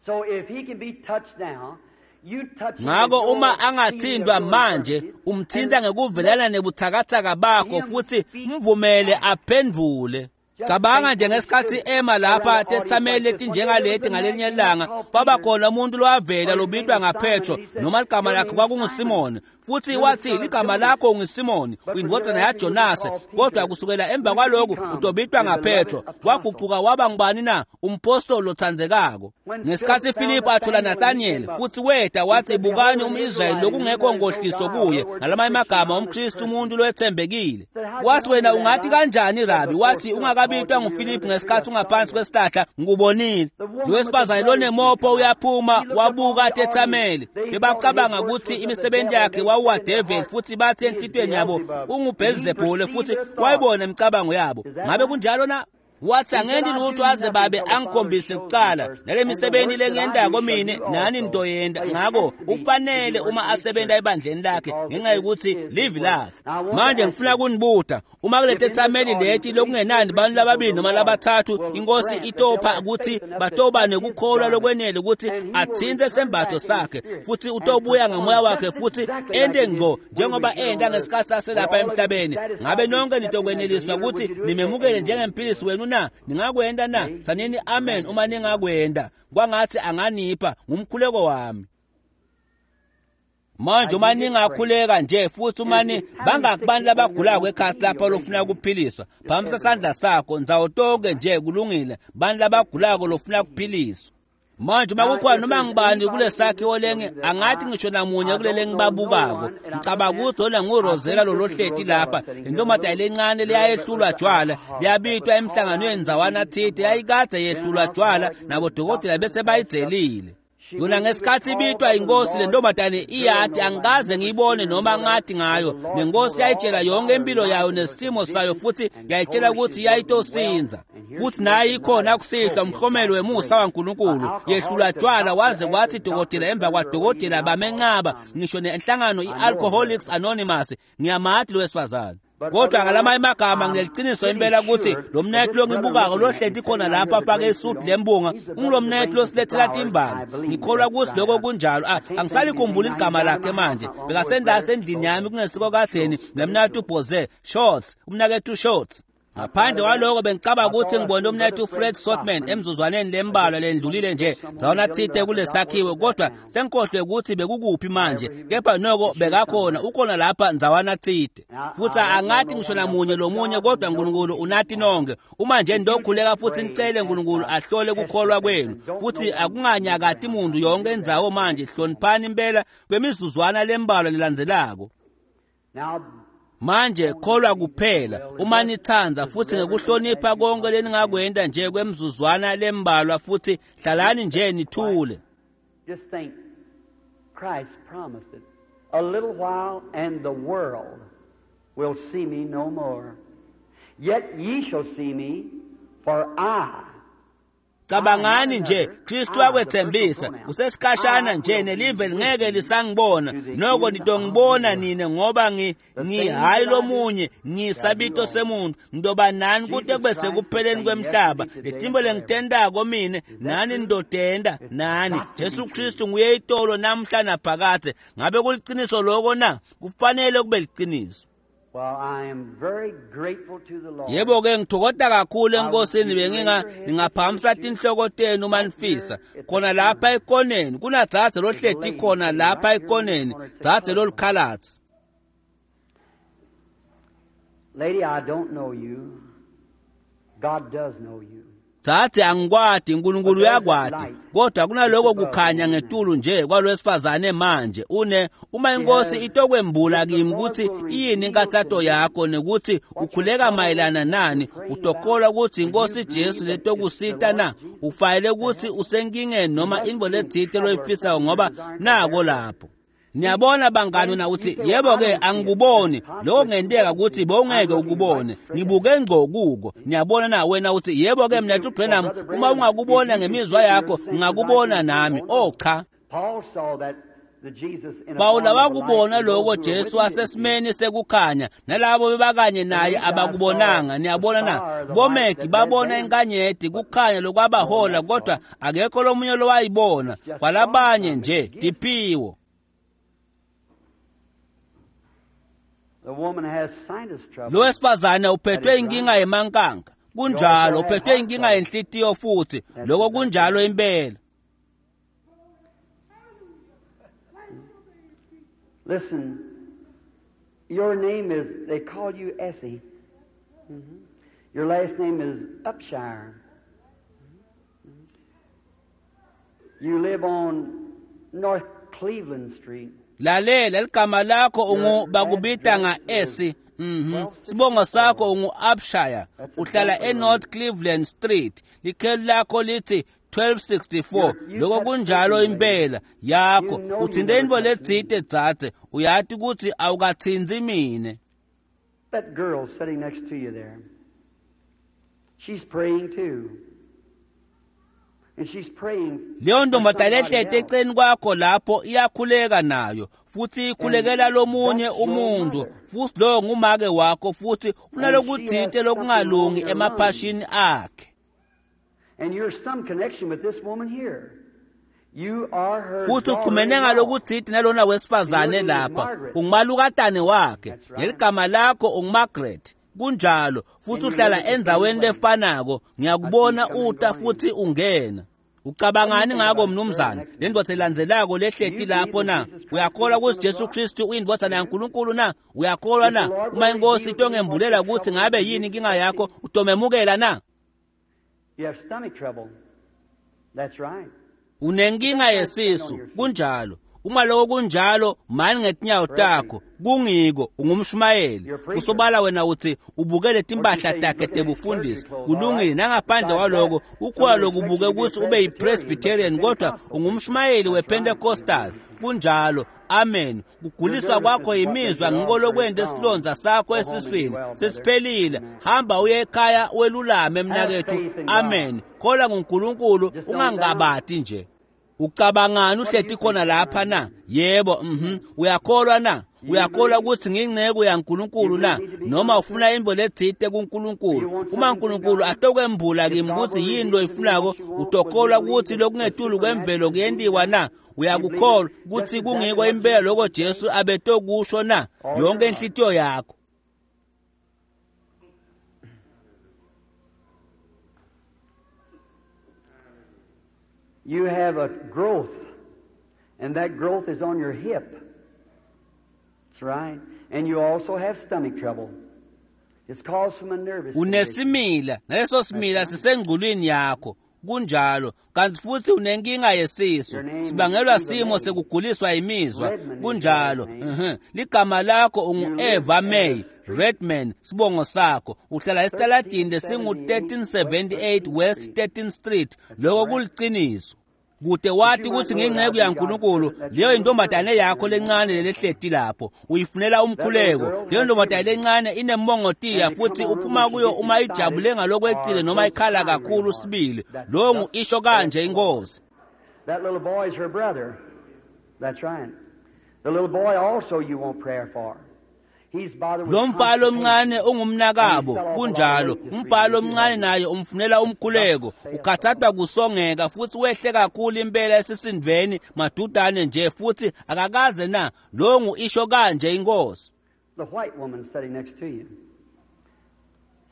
So if he can be touched now, you touch him. Ngako uma angathintwa manje umthinta ngekuvelana nebuthakathaka bakho futhi mvumele aphendvule. Cabanga nje ngesikhathi ema lapha tethameli letinjengaleti ngalinye ilanga baba khona umuntu lowavela lobitwa ngaPetro noma ligama lakhe kwakunguSimoni futhi wathi ligama lakho unguSimoni uyindodana yaJonase kodwa kusukela emva kwalokhu utobitwa ngaPetro. Waguquka waba ngubani na? Umpostoli lothandzekako. Ngesikhathi Philip athola Nathaniel futhi weta wathi bukani umIsrayeli lokungekho nkohliso kuye, ngalamanye amagama umKristu umuntu lothembekile. Wathi wena ungathi kanjani Rabi? Wathi ungakabitwa nguPhilip ngesikhathi ungaphansi kwesihlahla ngikubonile. Lo wesifazane lonemopho uyaphuma wabuka tethameli bebacabanga ukuthi imisebenzi yakhe wawuwadevil futhi bathi enhlitweni yabo unguBelzebule futhi wayibona imicabango yabo. Ngabe kunjalo na? Wathi angenti lutho aze babe angikhombise kuqala nale misebenzi lengiyentako mine nani nitoyenta. Ngako ufanele uma asebenta ebandleni lakhe ngenxa yokuthi livi lakhe. Manje ngifuna kunibuta uma kuleti tethameli leti lokungenani bantu lababili noma labathathu inkosi itopha ukuthi batoba nekukholwa lokwenele ukuthi athinte sembatho sakhe futhi utobuya ngamoya wakhe futhi ente ngco njengoba enta ngesikhathi saselapha emhlabeni. Ngabe nonke nitokweneliswa ukuthi nimemukele njengemphilisi wenu na? Ningakwenda na? Tsanini amen uma ningakwenda. Kwangathi anganipha ngumkhuleko wami. Manje uma ningakhuleka nje futhi uma ni bangakubantu labagulako ekhasi lapha lofuna ukuphiliswa, phamisa sandla sakho ndzawo tonke nje kulungile, bantu labagulako lofuna ukuphiliswa. Manje uma kukhona noma ngibani kulesakhiwo lenge angathi ngisho namunye kulele ngibabukako ngicabanga ukuthi lona nguRosela lo lohleti lapha intombazane lencane leyayehlulwa jwala liyabitwa emhlanganweni ndzawana thite yayikade yehlulwa jwala nabodokotela bese bayidzelile. Yona ngesikhathi ibitwa inkosi le ntombazane iyati angikaze ngiyibone noma ngathi ngayo. Nenkosi yayitshela yonke impilo yayo nesimo sayo futhi yayitshela ukuthi yayitosinza. Futhi naye ikhona kusihlwa umhlomelo wemusa waNkulunkulu yehlulwa jwala waze kwathi dokotela emva kwadokotela bamenqaba ngisho nenhlangano i-Alcoholics Anonymous. Ngiyamati lo wesifazane. Kodwa ngalamanye amagama ngineqiniso impela ukuthi lo mnethu longibukako lohleti khona lapha afake isudu lembunga ungulomnethu losilethela timbali. Ngikholwa ukuthi lokho kunjalo. Angisalikhumbuli igama lakhe manje bekasendase endlini yami kungesiko kadzeni nemnethu Bose Shorts umnakethu Shorts. Ngaphandle kwaloko bengicabanga ukuthi ngibone umnethu Fred Sotman emzuzwaneni lembalwa lendlulile nje ndzawana tsite kulesakhiwo, kodwa sengikhohlwe ukuthi bekukuphi manje, kepha noko bekakhona, ukhona lapha ndzawana tsite. Futhi angathi ngisho namunye lomunye, kodwa uNkulunkulu unati nonke. Uma nje nidokhuleka futhi nicele uNkulunkulu ahlole kukholwa kwenu, futhi akunganyakati muntu yonke indzawo manje. Hloniphani impela kwemizuzwana lembalwa lelandzelako. Manje kholwa kuphela uma nithanda, futhi ngekuhlonipha konke leningakwenta nje kwemzuzwana lembalwa, futhi hlalani nje nithule. Just think, Christ promised it. A little while and the world will see me no more. Yet ye shall see me, for I. Cabangani nje, Kristu wakwethembisa, usesikhashana nje nelive lingeke lisangibona, noko nitongibona nine, ngoba ngi ngihayi lomunye, ngisabito semuntu, ngidoba nani kute kube sekupheleni kwemhlaba. Letimbo lengitendako mine, nani nidotenda nani. Jesu Kristu nguye itolo namhla naphakadze. Ngabe kuliciniso loko na? Kufanele kube liciniso. Well, I am very grateful to the Lord. Yebo ke ngithokoza kakhulu enkosini, benginga ningaphakamisa tinhloko tenu uma nifisa. Khona lapha ekoneni kunadzadze lohleti khona lapha ekoneni, dzadze lolukhalatsi. Lady, I don't know you. God does know you. Dzadze angikwati, uNkulunkulu uyakwati, kodwa kunaloko kukhanya ngetulu nje kwalwesifazane manje. Une uma inkosi itokwembula kimi ukuthi yini inkathato yakho nekuthi ukhuleka mayelana nani, utokholwa ukuthi inkosi Jesu letokusita na? Ufanele ukuthi usenkingeni noma intfo letsite loyifisayo, ngoba nako lapho. Niyabona bangani, na uthi yebo ke angikuboni, lokho kungenteka ukuthi bowungeke ukubone, ngibuke ngqo kuko. Niyabona na wena uthi yebo ke mina Branham, uma ungakubona ngemizwa yakho ngakubona nami. Oh cha, Pawula wakubona lokho Jesu wasesimeni sekukhanya, nalabo bebakanye naye abakubonanga. Niyabona na? Bomegi babona inkanyeti kukhanya lokwabahola, kodwa akekho lomunye lowayibona, kwalabanye nje tiphiwo. Lo wesifazane uphethwe inkinga yemankanka, kunjalo, uphethwe inkinga yenhlitiyo futhi, lokho kunjalo impela. Listen, your name is, they call you Essie. Mm-hmm. Your last name is Upshire. Mm-hmm. You live on North Cleveland Street. Lalela, ligama lakho ungu bakubita nga-Essie. Mhm. Sibongo sakho ungu Upshire. Uhlala eNorth Cleveland Street. Likheli lakho lithi twelve sixty-four. Lokho kunjalo impela yakho. Uthinte intfo letsite dzadze, uyati ukuthi awukathinzi mine. That girl sitting next to you there, she's praying too. And she's praying. Leyo ntombazane lehlete eceleni kwakho lapho iyakhuleka nayo, futhi ikhulekela lomunye umuntu, futhi lowo ngumake wakho, futhi unalokuthite lokungalungi emaphashini akhe. And you're some connection with this woman here. You are her. Futhi uxhumene ngalokuthite nalona wesifazane lapha, ungumalukatane wakhe, ngeligama lakho unguMargaret. Kunjalo, futhi uhlala endzaweni lefanako. Ngiyakubona uta futhi ungena. Ucabangani ngako mnumzane? Le ndvodza elandzelako lehleti lapho na? Uyakholwa ukuthi Jesu Kristu uyindvodzana yaNkulunkulu na? Uyakholwa na? Uma inkosi itongembulela ukuthi ngabe yini inkinga yakho, utomemukela na? You have stomach trouble. That's right. Unenkinga yesisu, kunjalo. Uma lokho kunjalo, mani ngetinyawo takho, kungiko ungumshumayeli. Kusobala wena uthi ubukele timpahla takhe tebufundisi. Kulungile, nangaphandle kwaloko ukholwa lokubuke ukuthi ube yiPresbyterian, kodwa ungumshumayeli wePentecostal. Kunjalo. Amen. Kuguliswa kwakho yimizwa ngiko lokwenta isilonza sakho esiswini sesiphelile. Hamba uye ekhaya welulame mnakethu. Amen. Kholwa nguNkulunkulu, ungangabati nje. Ucabangani uhleti khona lapha na? Yebo, mhm. Uyakholwa na? Uyakholwa ukuthi ngingcebo yaNkulunkulu na? Noma ufuna imbo letsite kuNkulunkulu? Uma uNkulunkulu atokwembula kimi ukuthi yini loyifunako, utokholwa ukuthi lokungetulu kwemvelo kuyentiwa na? Uyakukholwa ukuthi kungiko impela lokho Jesu abetokusho na? Yonke inhlitiyo yakho. You have a growth, and that growth is on your hip. That's right. And you also have stomach trouble. It's caused from a nervous condition. Unesimila, naleso simila sisengculwini yakho. Kunjalo, kanti futhi unenkinga yesisu. Sibangelwa simo sekuguliswa imizwa. Kunjalo. Mhm. Ligama lakho ungu-Eva May Redman, sibongo sakho. Uhlala esitaladini lesingu thirteen seventy-eight West thirteenth Street. Lokho kuliciniso. Kude wathi ukuthi nginceku yaNkulunkulu, leyo intombazane yakho lencane lelehleti lapho uyifunela umkhuleko. Leyo ntombazane lencane inemongotiya futhi uphuma kuyo uma ijabule ngalokweqile noma ikhala kakhulu sibili. Lo ngu isho kanje inkosi. That little boy is her brother. That's right. The little boy also you want prayer for. Lo mfana omncane ungumnakabo, kunjalo. Umfana omncane naye umfunela umkhuleko. Ukhathathwa kusongeka futhi wehle kakhulu impela esisindveni madudane nje futhi akakaze na. Lo ngu isho kanje inkosi. The white woman sitting next to you.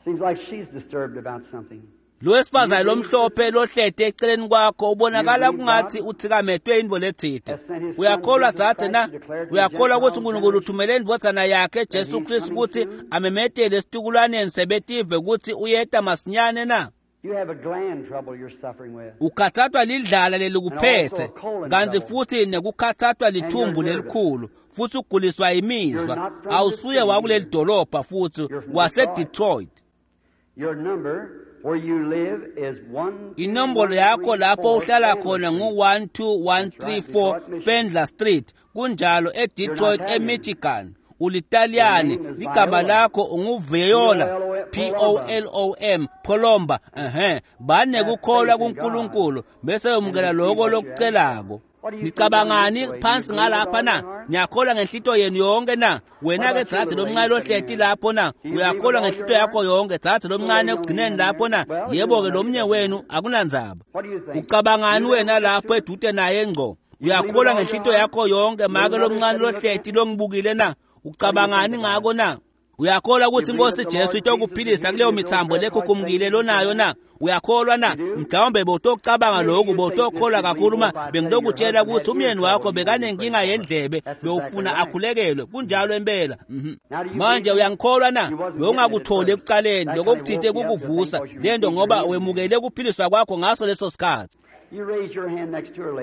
Seems like she's disturbed about something. Lo wesifazane lomhlophe lohlete eceleni kwakho ubonakala kungathi uthikametwe intfo letsite. Uyakholwa dzadze na? Uyakholwa ukuthi uNkulunkulu uthumele indvodzana yakhe Jesu Kristu ukuthi amemetele esitukulwaneni sebetive ukuthi uyeta masinyane na? You have a gland trouble you're suffering with. Ukhathathwa lidlala lelikuphethe, kanti futhi nekukhathathwa lithumbu lelikhulu, futhi uguliswa imizwa. Awusuye wakuleli dolobha futhi wase-Detroit. Your number where you live is one. Inombolo yakho lapho uhlala khona ngu one two one three four Fendler Street, kunjalo eDetroit eMichigan. Ulitaliyane, ligama lakho unguViola, P O L O M, Polomba. Ehhe, banekukholwa kuNkulunkulu bese yomukela lokho lokucelako. Nicabangani phansi ngalapha na? Niyakholwa ngenhlito yenu yonke na? Wena ke dzadze lomncane lohleti lapho na? Uyakholwa ngenhlito yakho yonke dzadze lomncane ekugcineni lapho na? Yebo ke lomnye wenu akunandzaba. Ucabangani wena lapho edude naye ngco? Uyakholwa ngenhlito yakho yonke make lomncane lohleti longibukile na? Ucabangani ngako na? Uyakholwa ukuthi inkosi Jesu itokuphilisa kuleyo mithambo lekhukhumukile lonayo na? Uyakholwa na? Mhlawumbe bowutocabanga lokhu, bowutokholwa kakhulu uma bengitokutshela ukuthi umyeni wakho bekanenkinga yendlebe, bewufuna akhulekelwe. Kunjalo impela. Manje uyangikholwa na? Bewungakutholi ekuqaleni, lokho kuthinte kukuvusa lento ngoba wemukele ukuphiliswa kwakho ngaso leso sikhathi.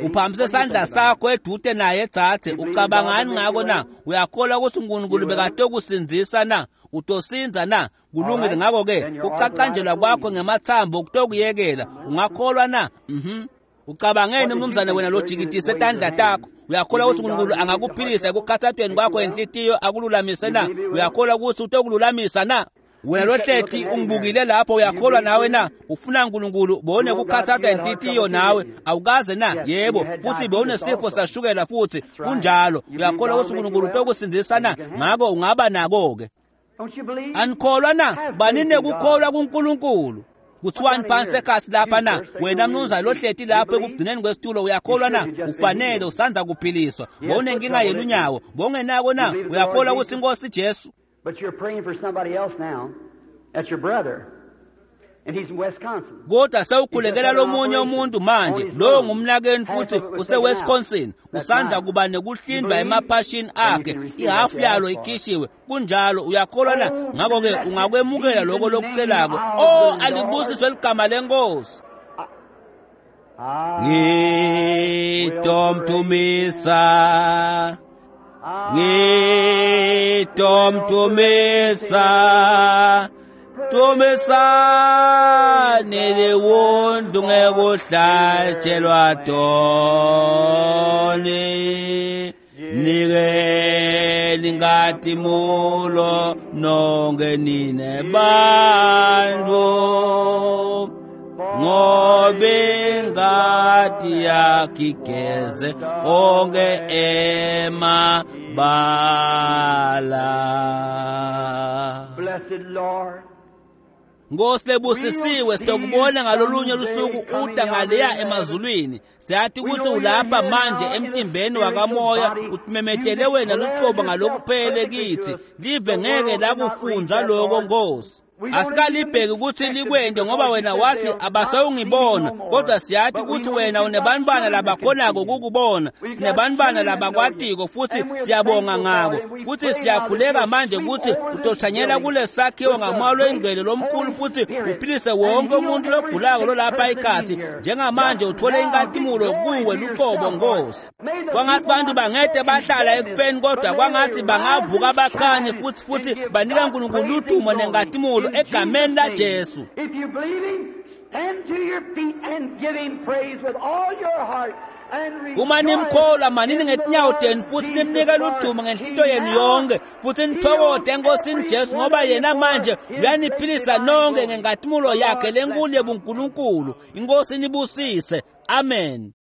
Uphambise isandla sakho edude naye dzadze. Ucabangani ngako na? Uyakholwa ukuthi uNkulunkulu bekatokusindzisa na? Utosinza na? Kulungile. Ngakho-ke kucacanjelwa kwakho ngemathambo kutokuyekela. Ungakholwa na? Mhm. Ucabangeni mnumzane wena lojikitise tandla takho? Uyakholwa ukuthi uNkulunkulu angakuphilisa ekukhathathweni kwakho enhlitiyo akululamise na? Uyakholwa ukuthi utokululamisa na? Wena lohleti ungibukile lapho, uyakholwa nawe na? Ufuna uNkulunkulu bone kukhathathwa inhlitiyo nawe awukaze na? Yebo, futhi bewunesifo sashukela futhi kunjalo. Uyakholwa ukuthi uNkulunkulu utokusindzisa na? Ngako ungaba nako ke. Anikholwa na? Banine kukholwa kuNkulunkulu. Kuthiwani phansi ekhasi lapha na? Wena mnumzane lohleti lapho ekugcineni kwesitulo, uyakholwa na? Ufanele usandza kuphiliswa. Bowunenkinga yelunyawo, bowungenako na? Uyakholwa ukuthi inkosi Jesu? But you're praying for somebody else now. That's your brother. And he's in Wisconsin. Kodwa sewukhulekela lomunye umuntu manje, lowo ngumnakeni futhi useWisconsin. Usandza kuba nekuhlindwa emaphashini akhe, ihafu yalo ikhishiwe. Kunjalo, uyakholwa na? Ngakho ke ungakwemukela lokho lokucelako. Oh, alibusiswe ligama lenkosi. Ngitomtumisa, ngitomtumisa, tumisani liwondu ngekuhlatshelwa toni, nike lingatimulo nonke nine bantfu, ngobe ingati yakhe igeze onke emabala. Blessed Lord. Nkosi lebusisiwe, sitokubona ngalolunye lusuku uta ngaleya emazulwini. Siyathi ukuthi ulapha manje emtimbeni wakamoya, utimemetele wena lucobo ngalokuphele kithi. Live ngeke lakufundza lokho Nkosi. Asikalibheki kutsi likwente ngoba wena wathi abasawungibona, kodwa siyathi kutsi wena unebantfwana labakhonako kukubona. Sinebantfwana labakwatiko futsi siyabonga ngako. Futsi siyakhuleka manje kutsi utothanyela kulesakhiwo ngamoya loyingcwele lomkhulu futsi uphilise wonke umuntu logulako lolapha ikhathi njengamanje uthole inkatimulo kuwe luqobo Nkosi. Kwangatsi bantu bangete bahlala ekufeni kodwa kwangatsi bangavuka bakhanye futsi futsi banika uNkulunkulu ludumo nenkatimulo egameni la Jesu. If you believe him, stand to your feet and give him praise with all your heart. And Uma nimkholwa manini ngetinyawo tenu futhi nimnike ludumo ngenhlito yenu yonke futhi nithokote enkosini Jesu ngoba yena manje uyaniphilisa nonke ngenkatimulo yakhe lenkulu yebuNkulunkulu. Inkosi nibusise. Amen.